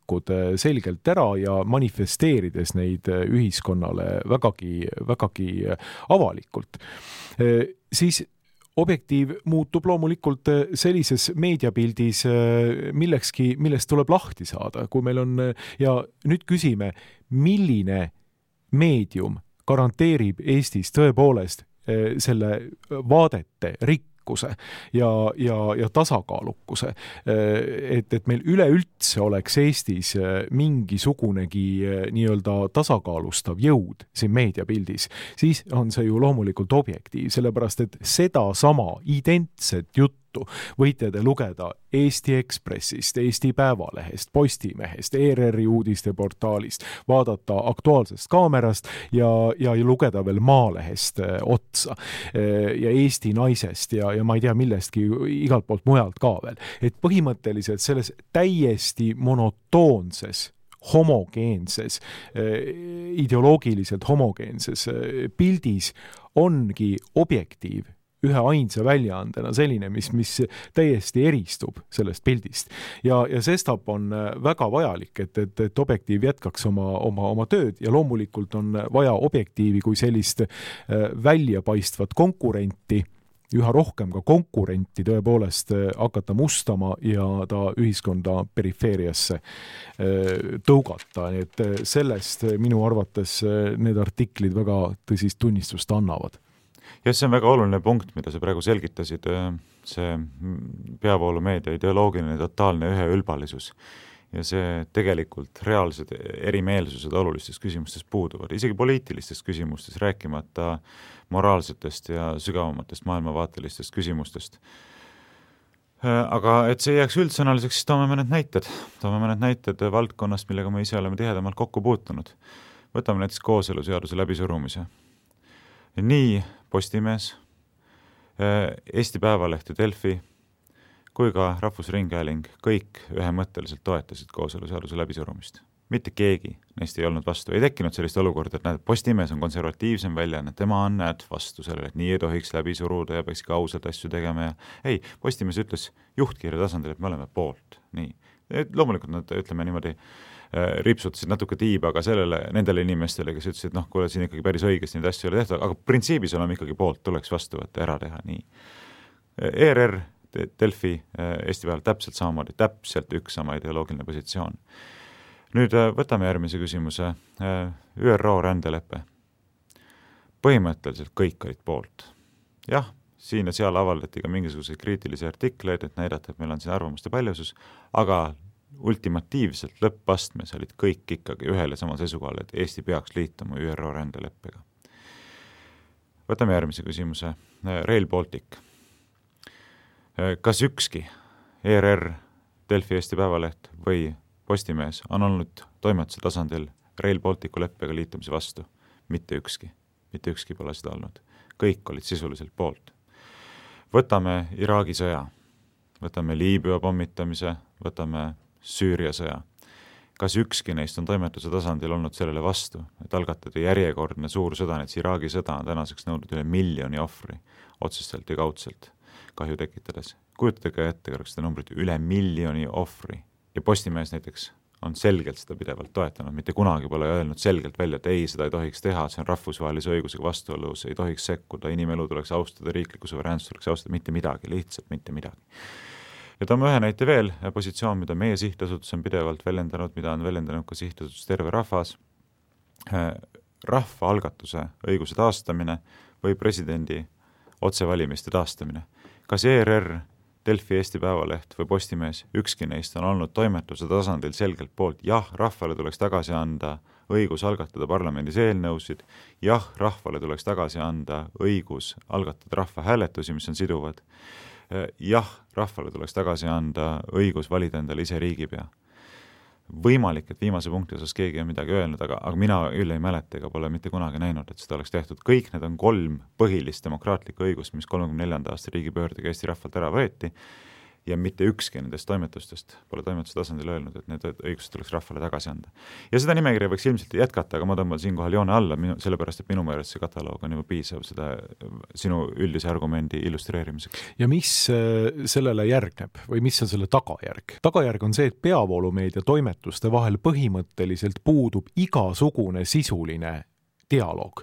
selgelt ära ja manifesteerides neid ühiskonnale vägagi avalikult. Siis objektiiv muutub loomulikult sellises meediapildis millekski, millest tuleb lahti saada. Kui meil on, ja nüüd küsime, milline meedium garanteerib Eestis tõepoolest selle vaadete mõistlikkuse ja tasakaalukuse, et meil üleüldse oleks Eestis mingisugunegi nii-öelda tasakaalustav jõud siin meediapildis, siis on see ju loomulikult objektiiv, sellepärast et seda sama identset juttu võite te lugeda Eesti Ekspressist, Eesti Päevalehest, Postimehest, ERR-i uudisteportaalist, vaadata Aktuaalsest Kaamerast ja lugeda veel Maalehest otsa ja Eesti Naisest ja ma ei tea millestki igalt poolt mujalt ka veel. Et põhimõtteliselt selles täiesti monotoonses homogeenses, ideoloogiliselt homogeenses pildis ongi objektiiv ühe ainsa väljaandena selline, mis täiesti eristub sellest pildist. Ja sestap on väga vajalik, et objektiiv jätkaks oma tööd ja loomulikult on vaja objektiivi kui sellist väljapaistvat konkurenti, üha rohkem ka konkurenti tõepoolest hakata mustama ja ta ühiskonda perifeeriasse tõugata. Nii et sellest minu arvates need artiklid väga tõsist tunnistust annavad. Ja see on väga oluline punkt, mida sa praegu selgitasid, see peavoolumeedia ideoloogiline totaalne üheülbalisus ja see tegelikult reaalsed erimeelsused olulistes küsimustes puuduvad, isegi poliitilistes küsimustes, rääkimata moraalsetest ja sügavamatest maailmavaatelistest küsimustest. Aga et see jääks üldsõnaliseks, siis toome mõned näited valdkonnast, millega me ise oleme tihedamalt kokku puutunud. Võtame näiteks kooseluseaduse läbisurumise. Nii Postimees, Eesti Päevaleht ja Delfi kui ka Rahvusringhääling kõik ühemõtteliselt toetasid kooseluseaduse läbisurumist. Mitte keegi neist ei olnud vastu. Ei tekkinud sellist olukorda, et Postimees on konservatiivsem väljaanne, tema on vastu sellele, et nii ei tohiks läbi suruda ja peaks ka ausalt asju tegema. Ei, Postimees ütles juhtkirja tasandil, et me oleme poolt. Nii. Loomulikult nad, ütleme niimoodi, ripsutasid natuke tiiba ka nendele inimestele, kes ütlesid, et kuule, siin ikkagi päris õigesti neid asju ei ole tehtud, aga printsiibis oleme ikkagi poolt, tuleks vastu võtta, ära teha. Nii. ERR, Delfi, Eesti Päeval täpselt samamoodi, täpselt üks sama ideoloogiline positsioon. Nüüd võtame järgmise küsimuse. ÜRO rändelepe. Põhimõtteliselt kõik olid poolt. Jah, siin ja seal avaldati ka mingisuguseid kriitilisi artikleid, et näidata, et meil on siin arvamuste paljusus, aga ultimatiivselt lõppastmes olid kõik ikkagi ühel ja samal seisukohal, et Eesti peaks liituma ÜRO rändeleppega. Võtame järgmise küsimuse. Rail Baltic. Kas ükski ERR, Delfi, Eesti Päevaleht või Postimees on olnud toimetuse tasandil Rail Balticu leppega liitumise vastu? Mitte ükski. Mitte ükski pole seda olnud. Kõik olid sisuliselt poolt. Võtame Iraagi sõja. Võtame Liibüa pommitamise, võtame Süüria sõja. Kas ükski neist on toimetuse tasandil olnud sellele vastu, et algatada järjekordne suur sõda, et Iraagi sõda on tänaseks nõudnud üle 1 miljoni ohvri, otsestelt ja kaudselt kahju tekitades. Kujutage ette kõrgste numbrid, üle 1 miljoni ohvri. Ja Postimees näiteks on selgelt seda pidevalt toetanud, mitte kunagi pole öelnud selgelt välja, et ei, seda ei tohiks teha, see on rahvusvahelise õigusega vastuolus, ei tohiks sekkuda, inimelu tuleks austada, riikliku suveräänsust tuleks austada, mitte midagi, lihtsalt mitte midagi. Ja toome ühe näite veel, positsioon, mida meie sihtasutus on pidevalt väljendanud, mida on väljendanud ka sihtasutus Terve Rahvas, rahvaalgatuse õiguse taastamine või presidendi otsevalimiste taastamine. Kas ERR, Delfi, Eesti Päevaleht või Postimees, ükski neist on olnud toimetuse tasandil selgelt poolt, jah, rahvale tuleks tagasi anda õigus algatada parlamendis eelnõusid, jah, rahvale tuleks tagasi anda õigus algatada rahvahääletusi, mis on siduvad, jah, rahvale tuleks tagasi anda õigus valida endale ise riigipea. Võimalik, et viimase punkti osas keegi on midagi öelnud, aga mina küll ei mäleta ega pole mitte kunagi näinud, et seda oleks tehtud. Kõik need on 3 põhilist demokraatlikku õigust, mis 34. aasta riigipöördega Eesti rahvalt ära võeti ja mitte ükski nendest toimetustest pole toimetuse tasandil öelnud, et need õigused tuleks rahvale tagasi anda. Ja seda nimekirja võiks ilmselt jätkata, aga ma tõmban siinkohal joone alla, sellepärast, et minu meelest see kataloog on juba piisav seda sinu üldise argumendi illustreerimiseks. Ja mis sellele järgneb või mis on selle tagajärg? Tagajärg on see, et peavoolumeedia toimetuste vahel põhimõtteliselt puudub igasugune sisuline dialoog.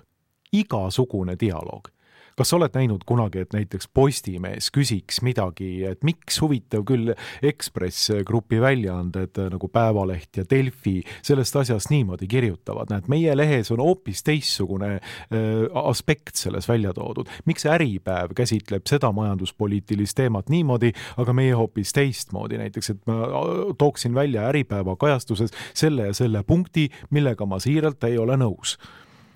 Igasugune dialoog. kas sa oled näinud kunagi, et näiteks Postimees küsiks midagi, et miks huvitav küll Ekspress grupi väljaanded nagu Päevaleht ja Delfi sellest asjast niimoodi kirjutavad? Näed, meie lehes on hoopis teissugune aspekt selles välja toodud. Miks Äripäev käsitleb seda majanduspoliitilist teemat niimoodi, aga meie hoopis teistmoodi? Näiteks, et ma tooksin välja Äripäeva kajastuses selle ja selle punkti, millega ma siiralt ei ole nõus.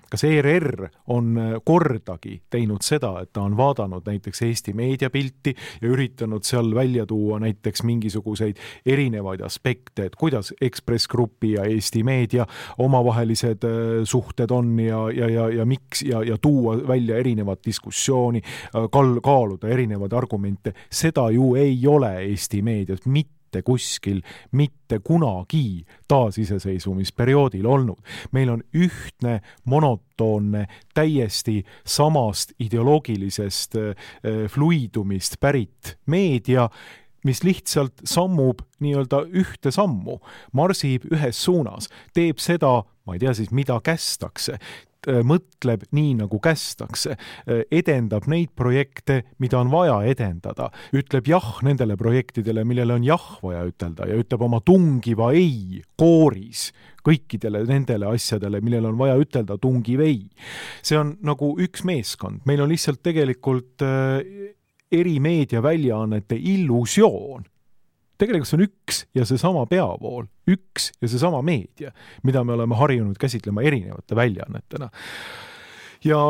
Kas ERR on kordagi teinud seda, et ta on vaadanud näiteks Eesti meediapilti ja üritanud seal välja tuua näiteks mingisuguseid erinevaid aspekte, et kuidas Ekspress Grupi ja Eesti meedia omavahelised suhted on ja miks ja tuua välja erinevat diskussiooni, kaaluda erinevaid argumente. Seda ju ei ole Eesti meedias mitte kuskil, mitte kunagi taasiseseisvumisperioodil olnud. Meil on ühtne, monotoonne, täiesti samast ideoloogilisest fluidumist pärit meedia, mis lihtsalt sammub nii-öelda ühte sammu, marsib ühes suunas, teeb seda, ma ei tea siis, mida kästakse, mõtleb nii, nagu kästakse, edendab neid projekte, mida on vaja edendada, ütleb jah nendele projektidele, millele on jah vaja ütelda ja ütleb oma tungiva ei kooris kõikidele nendele asjadele, millele on vaja ütelda tungiv ei. See on nagu üks meeskond. Meil on lihtsalt tegelikult eri meediaväljaannete illusioon. Tegelikult see on üks ja seesama peavool, üks ja seesama meedia, mida me oleme harjunud käsitlema erinevate väljaannetena. Ja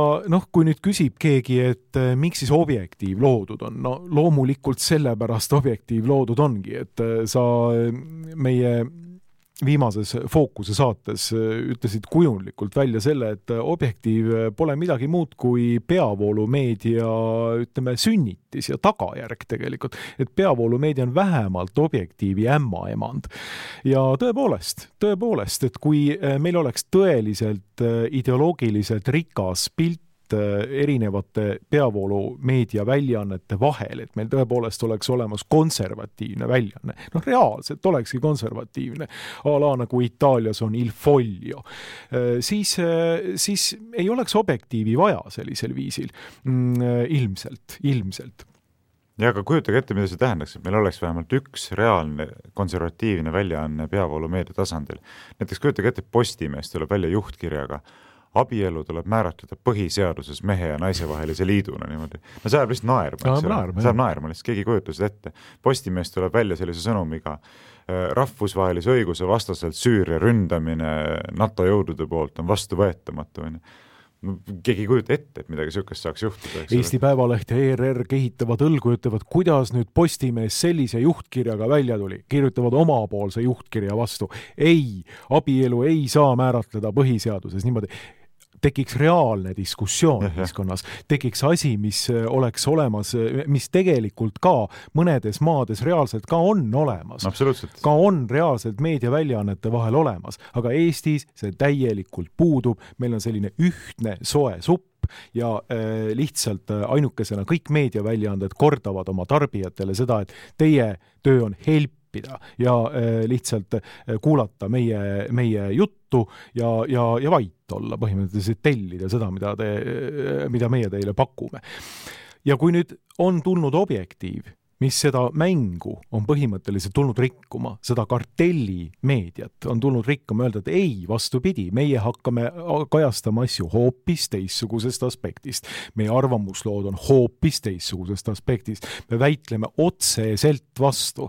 kui nüüd küsib keegi, et miks siis Objektiiv loodud on, loomulikult sellepärast Objektiiv loodud ongi, et sa meie viimases Fookuse saates ütlesid kujundlikult välja selle, et Objektiiv pole midagi muud kui peavoolumeedia, ütleme, sünnitis ja tagajärg tegelikult, et peavoolumeedia on vähemalt Objektiivi ämmaemand. Ja tõepoolest, et kui meil oleks tõeliselt ideoloogiliselt rikas pilt erinevate peavoolumeedia väljaannete vahel, et meil tõepoolest oleks olemas konservatiivne väljaanne. Reaalselt olekski konservatiivne, a la nagu Itaalias on Il Foglio. Siis ei oleks Objektiivi vaja sellisel viisil. Ilmselt. Ja aga kujutage ette, mida see tähendaks, et meil oleks vähemalt üks reaalne konservatiivne väljaanne peavoolumeedia tasandil. Näiteks kujutage ette, Postimees tuleb välja juhtkirjaga, abielu tuleb määratleda põhiseaduses mehe ja naise vahelise liiduna niimoodi. See ajab lihtsalt naerma. Saab naerma, lihtsalt keegi kujuta seda ette. Postimees tuleb välja sellise sõnumiga, rahvusvahelise õiguse vastaselt Süüria ründamine NATO jõudude poolt on vastuvõetamatu. Keegi kujuta ette, et midagi sihukest saaks juhtuda. Eesti Päevaleht ja ERR kehitavad õlgu ja ütlevad, kuidas nüüd Postimees sellise juhtkirjaga välja tuli. Kirjutavad omapoolse juhtkirja vastu. Ei, abielu ei saa määratleda põhiseaduses niimoodi. Tekiks reaalne diskussioon ühiskonnas, tekiks asi, mis oleks olemas, mis tegelikult ka mõnedes maades reaalselt ka on olemas. Absoluutselt. Ka on reaalselt meediaväljaannete vahel olemas, aga Eestis see täielikult puudub, meil on selline ühtne soe supp ja lihtsalt ainukesena kõik meediaväljaanded kordavad oma tarbijatele seda, et teie töö on helpida ja lihtsalt kuulata meie juttu ja vait olla, põhimõtteliselt tellida seda, mida meie teile pakume. Ja kui nüüd on tulnud Objektiiv, mis seda mängu on põhimõtteliselt tulnud rikkuma, seda kartellimeediat on tulnud rikkuma, öelda, et ei, vastupidi, meie hakkame kajastama asju hoopis teissugusest aspektist. Meie arvamuslood on hoopis teissugusest aspektist. Me väitleme otseselt vastu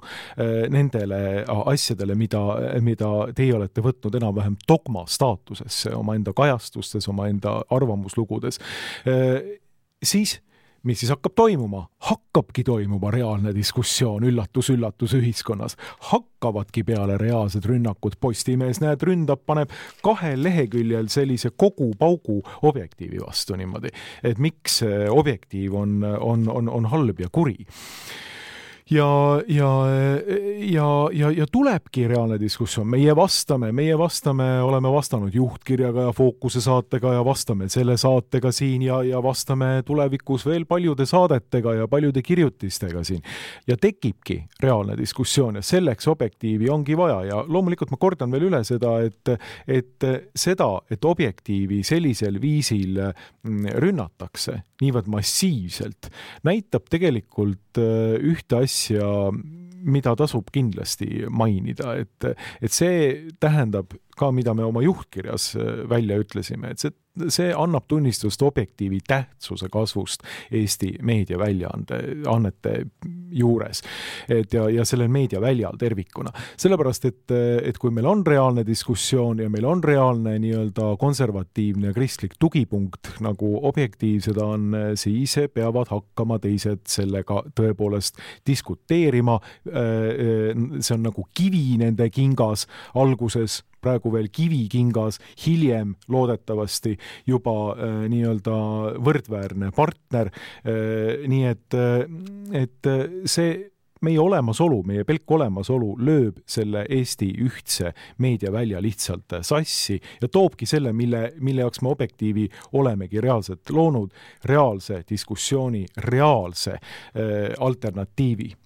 nendele asjadele, mida teie olete võtnud enam-vähem dogma staatusesse oma enda kajastustes, oma enda arvamuslugudes. Siis mis siis hakkab toimuma? Hakkabki toimuma reaalne diskussioon, üllatus ühiskonnas. Hakkavadki peale reaalsed rünnakud. Postimees ründab, paneb 2 leheküljel sellise kogu paugu Objektiivi vastu niimoodi. Et miks Objektiiv on halb ja kuri. ja tulebki reaalne diskussioon. Meie vastame, oleme vastanud Juhtkirjaga ja Fookuse saatega ja vastame selle saatega siin ja vastame tulevikus veel paljude saadetega ja paljude kirjutistega siin. Ja tekibki reaalne diskussioon ja selleks Objektiivi ongi vaja ja loomulikult ma kordan veel üle seda, et Objektiivi sellisel viisil rünnatakse niivõrd massiivselt, näitab tegelikult ühte asja, mida tasub kindlasti mainida, et see tähendab ka, mida me oma Juhtkirjas välja ütlesime, et see annab tunnistust Objektiivi tähtsuse kasvust Eesti meediaväljaannete juures ja sellel meediaväljal tervikuna. Sellepärast, et kui meil on reaalne diskussioon ja meil on reaalne nii-öelda konservatiivne ja kristlik tugipunkt, nagu Objektiiv seda on, siis peavad hakkama teised sellega tõepoolest diskuteerima. See on nagu kivi nende kingas alguses, praegu veel kivikingas, hiljem loodetavasti juba nii-öelda võrdväärne partner. Nii et see meie olemasolu, meie pelk olemasolu lööb selle Eesti ühtse meediavälja lihtsalt sassi ja toobki selle, mille jaoks me Objektiivi olemegi reaalselt loonud, reaalse diskussiooni, reaalse alternatiivi.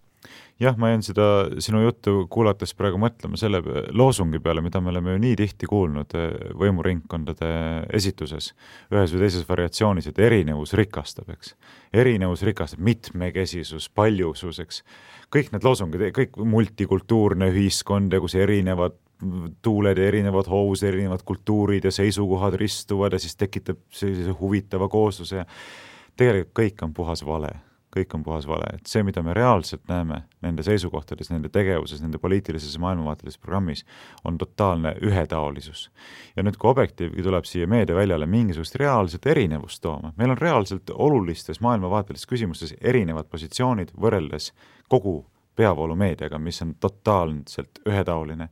Jah, ma jään seda sinu juttu kuulates praegu mõtlema selle loosungi peale, mida me oleme ju nii tihti kuulnud võimuringkondade esituses, ühes või teises variatsioonis, et erinevus rikastab, eks. Erinevus rikastab, mitmekesisus, paljusus, eks. Kõik need loosungid, kõik multikultuurne ühiskond ja kus erinevad tuuled ja erinevad hoos, erinevad kultuurid ja seisukohad ristuvad ja siis tekitab sellise huvitava koosluse. Tegelikult kõik on puhas vale. Kõik on puhas vale. Et see, mida me reaalselt näeme nende seisukohtades, nende tegevuses, nende poliitilises maailmavaatelises programmis, on totaalne ühetaolisus. Ja nüüd, kui Objektiivgi tuleb siia meediaväljale mingisugust reaalset erinevust tooma, meil on reaalselt olulistes maailmavaatelistes küsimustes erinevad positsioonid võrreldes kogu peavoolumeediaga, mis on totaalselt ühetaoline,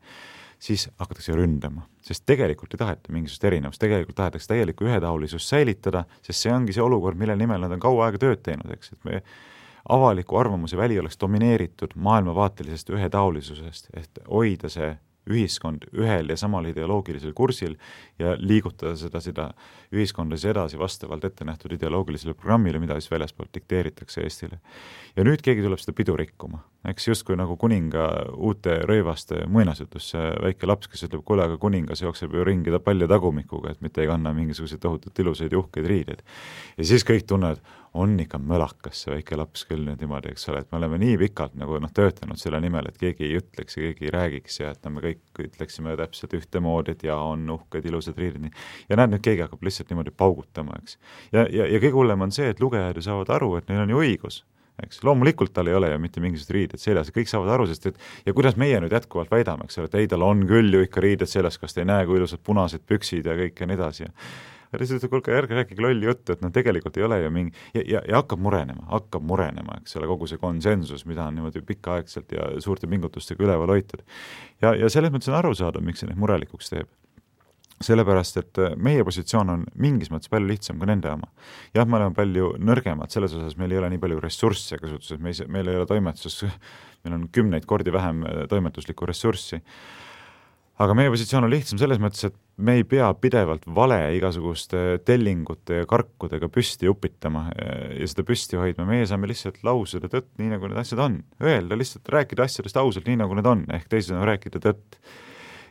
siis hakatakse ründama. Sest tegelikult ei taheta mingisugust erinevust, tegelikult tahetakse täielikku ühetaolisust säilitada, sest see ongi see olukord, mille nimel nad on kaua aega tööd teinud, eks, et me avaliku arvamuse väli oleks domineeritud maailmavaatelisest ühetaolisusest, et hoida see ühiskond ühel ja samal ideoloogilisel kursil ja liigutada seda ühiskonda edasi vastavalt ette nähtud ideoloogilisele programmile, mida siis väljaspoolt dikteeritakse Eestile. Ja nüüd keegi tuleb seda pidu rikkuma. Eks justkui nagu kuninga uute rõivaste muinasjutus, väike laps, kes ütleb, kuule, aga kuningas jookseb ju ringi palja tagumikuga, et mitte ei kanna mingisuguseid tohutult ilusaid ja uhkeid riideid. Ja siis kõik tunnevad, on ikka mõlakas see väike laps küll nüüd niimoodi, eks ole, et me oleme nii pikalt nagu töötanud selle nimel, et keegi ei ütleks ja keegi ei räägiks ja et me kõik ütleksime täpselt ühtemoodi, et on uhked ilusad riided. Ja näed, nüüd keegi hakkab lihtsalt niimoodi paugutama, eks. Ja kõige hullem on see, et lugejad ju saavad aru, et neil on ju õigus. Eks. Loomulikult tal ei ole ju mitte mingisugused riided seljas ja kõik saavad aru, sest ja kuidas meie nüüd jätkuvalt väidame, eks ole, et ei, tal on küll ju ikka riided seljas, kas te ei näe, kui ilusad punased püksid ja kõik ja nii edasi. Ja siis ütleb, kuulge, ärge rääkige lolli juttu, et tegelikult ei ole ju mingi ja hakkab murenema, eks ole, kogu see konsensus, mida on niimoodi pikaaegselt ja suurte pingutustega üleval hoitud. Ja selles mõttes on aru saada, miks see neid murelikuks teeb. Sellepärast, et meie positsioon on mingis mõttes palju lihtsam kui nende oma. Jah, me oleme palju nõrgemad, selles osas meil ei ole nii palju ressursse kasutuses, meil ei ole toimetuses, meil on 10 kordi vähem toimetuslikku ressurssi. Aga meie positsioon on lihtsam selles mõttes, et me ei pea pidevalt vale igasuguste tellingute ja karkudega püsti upitama ja seda püsti hoidma. Meie saame lihtsalt lausida tõtt nii, nagu need asjad on. Öelda lihtsalt, rääkida asjadest ausalt nii, nagu need on, ehk teised on rääkida tõtt.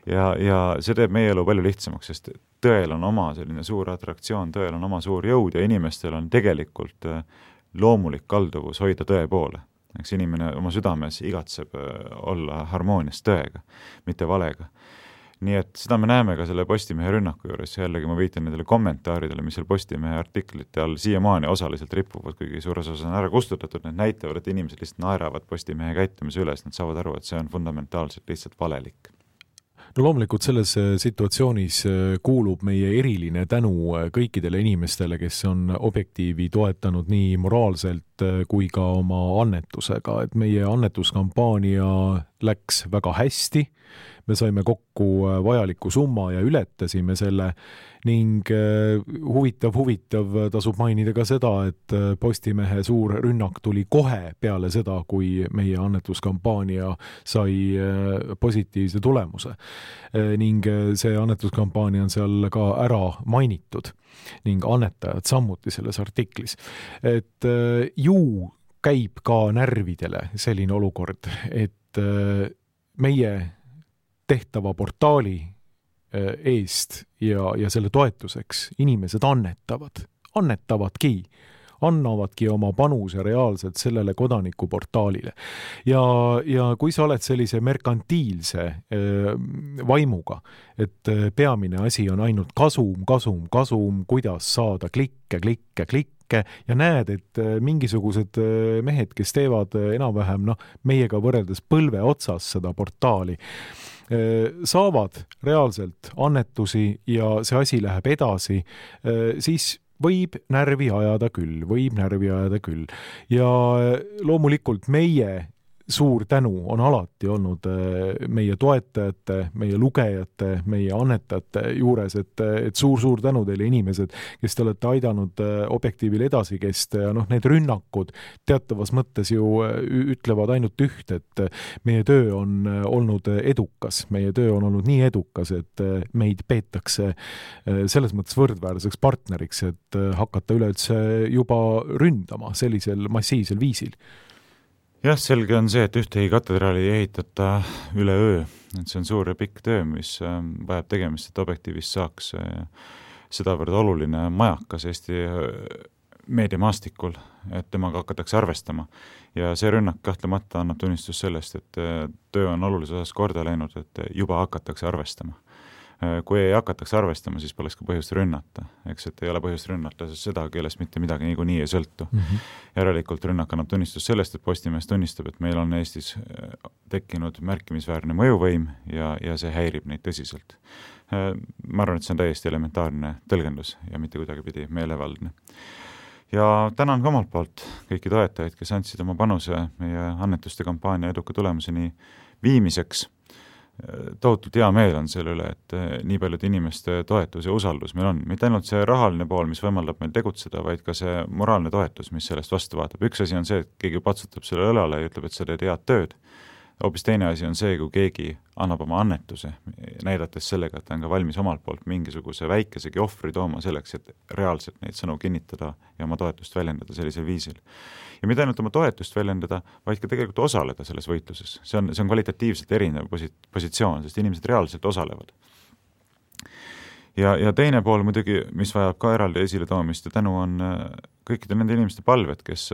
Ja see teeb meie elu palju lihtsamaks, sest tõel on oma selline suur atraktsioon, tõel on oma suur jõud ja inimestel on tegelikult loomulik kalduvus hoida tõe poole. Eks inimene oma südames igatseb olla harmoonias tõega, mitte valega. Nii et seda me näeme ka selle Postimehe rünnaku juures, jällegi ma viitan nendele kommentaaridele, mis seal Postimehe artiklite all siiamaani osaliselt ripuvad, kuigi suures osas on ära kustutatud, need näitavad, et inimesed lihtsalt naeravad Postimehe käitumise üles, nad saavad aru, et see on fundamentaalselt lihtsalt valelik. No loomulikult selles situatsioonis kuulub meie eriline tänu kõikidele inimestele, kes on Objektiivi toetanud nii moraalselt kui ka oma annetusega, et meie annetuskampaania läks väga hästi, me saime kokku vajaliku summa ja ületasime selle ning huvitav tasub mainida ka seda, et Postimehe suur rünnak tuli kohe peale seda, kui meie annetuskampaania sai positiivse tulemuse. Ning see annetuskampaania on seal ka ära mainitud ning annetajad samuti selles artiklis. Et ju käib ka närvidele selline olukord, et meie tehtava portaali eest ja selle toetuseks inimesed annetavadki oma panuse reaalselt sellele kodanikuportaalile. Ja kui sa oled sellise merkantiilse vaimuga, et peamine asi on ainult kasum, kuidas saada klikke ja näed, et mingisugused mehed, kes teevad enam-vähem meiega võrreldes põlve otsas seda portaali, saavad reaalselt annetusi ja see asi läheb edasi, siis võib närvi ajada küll. Ja loomulikult meie suur tänu on alati olnud meie toetajate, meie lugejate, meie annetajate juures, et suur tänu teile inimesed, kes te olete aidanud Objektiivil edasi kesta ja need rünnakud teatavas mõttes ju ütlevad ainult üht, et meie töö on olnud edukas, nii edukas, et meid peetakse selles mõttes võrdväärseks partneriks, et hakata üleüldse juba ründama sellisel massiivsel viisil. Jah, selge on see, et ühtegi katedraali ei ehitata üleöö, et see on suur ja pikk töö, mis vajab tegemist, et Objektiivist saaks sedavõrd oluline majakas Eesti meediamaastikul, et temaga hakatakse arvestama. Ja see rünnak kahtlemata annab tunnistus sellest, et töö on olulises osas korda läinud, et juba hakatakse arvestama. Kui ei hakatakse arvestama, siis poleks ka põhjust rünnata. Eks, et ei ole põhjust rünnata, sest seda, kellest mitte midagi niikuinii ei sõltu. Järelikult rünnak annab tunnistus sellest, et Postimees tunnistab, et meil on Eestis tekkinud märkimisväärne mõjuvõim ja see häirib neid tõsiselt. Ma arvan, et see on täiesti elementaarne tõlgendus ja mitte kuidagi pidi meelevaldne. Ja tänan ka omalt poolt kõiki toetajaid, kes andsid oma panuse meie annetuste kampaania eduka tulemuseni viimiseks. Tohutult hea meel on selle üle, et nii paljud inimeste toetus ja usaldus meil on. Mitte ainult see rahaline pool, mis võimaldab meil tegutseda, vaid ka see moraalne toetus, mis sellest vastu vaatab. Üks asi on see, et keegi patsutab selle õlale ja ütleb, et sa teed head tööd. Hoopis teine asi on see, kui keegi annab oma annetuse, näidates sellega, et ta on ka valmis omalt poolt mingisuguse väikesegi ohvri tooma selleks, et reaalselt neid sõnu kinnitada ja oma toetust väljendada sellisel viisil. Ja mitte ainult oma toetust väljendada, vaid ka tegelikult osaleda selles võitluses. See on kvalitatiivselt erinev positsioon, sest inimesed reaalselt osalevad. Ja teine pool muidugi, mis vajab ka eraldi esile toomist ja tänu on kõikide nende inimeste palved, kes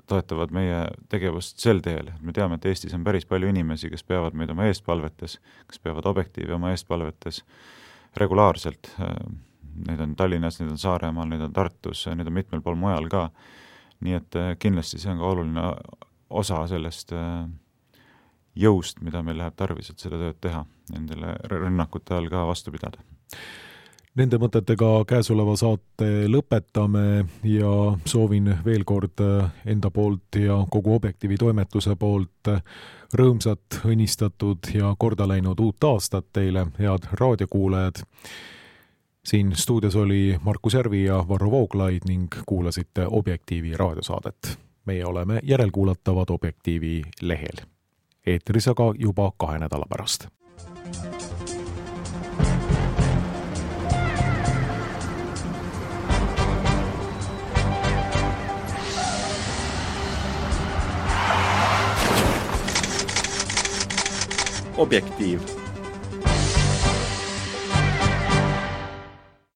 toetavad meie tegevust sel teel. Me teame, et Eestis on päris palju inimesi, kes peavad meid oma eestpalvetes, kes peavad Objektiivi oma eestpalvetes regulaarselt. Neid on Tallinnas, neid on Saaremaal, neid on Tartus, neid on mitmel pool mujal ka. Nii et kindlasti see on ka oluline osa sellest jõust, mida meil läheb tarvis, et seda tööd teha, nendele rünnakute all ka vastu pidada. Nende mõtetega käesoleva saate lõpetame ja soovin veel kord enda poolt ja kogu Objektiivi toimetuse poolt rõõmsat, õnnistatud ja korda läinud uut aastat teile, head raadiokuulajad. Siin stuudios oli Markus Järvi ja Varro Vooglaid ning kuulasite Objektiivi raadiosaadet. Meie oleme järelkuulatavad Objektiivi lehel. Eetris aga juba 2 nädala pärast. Objektiiv.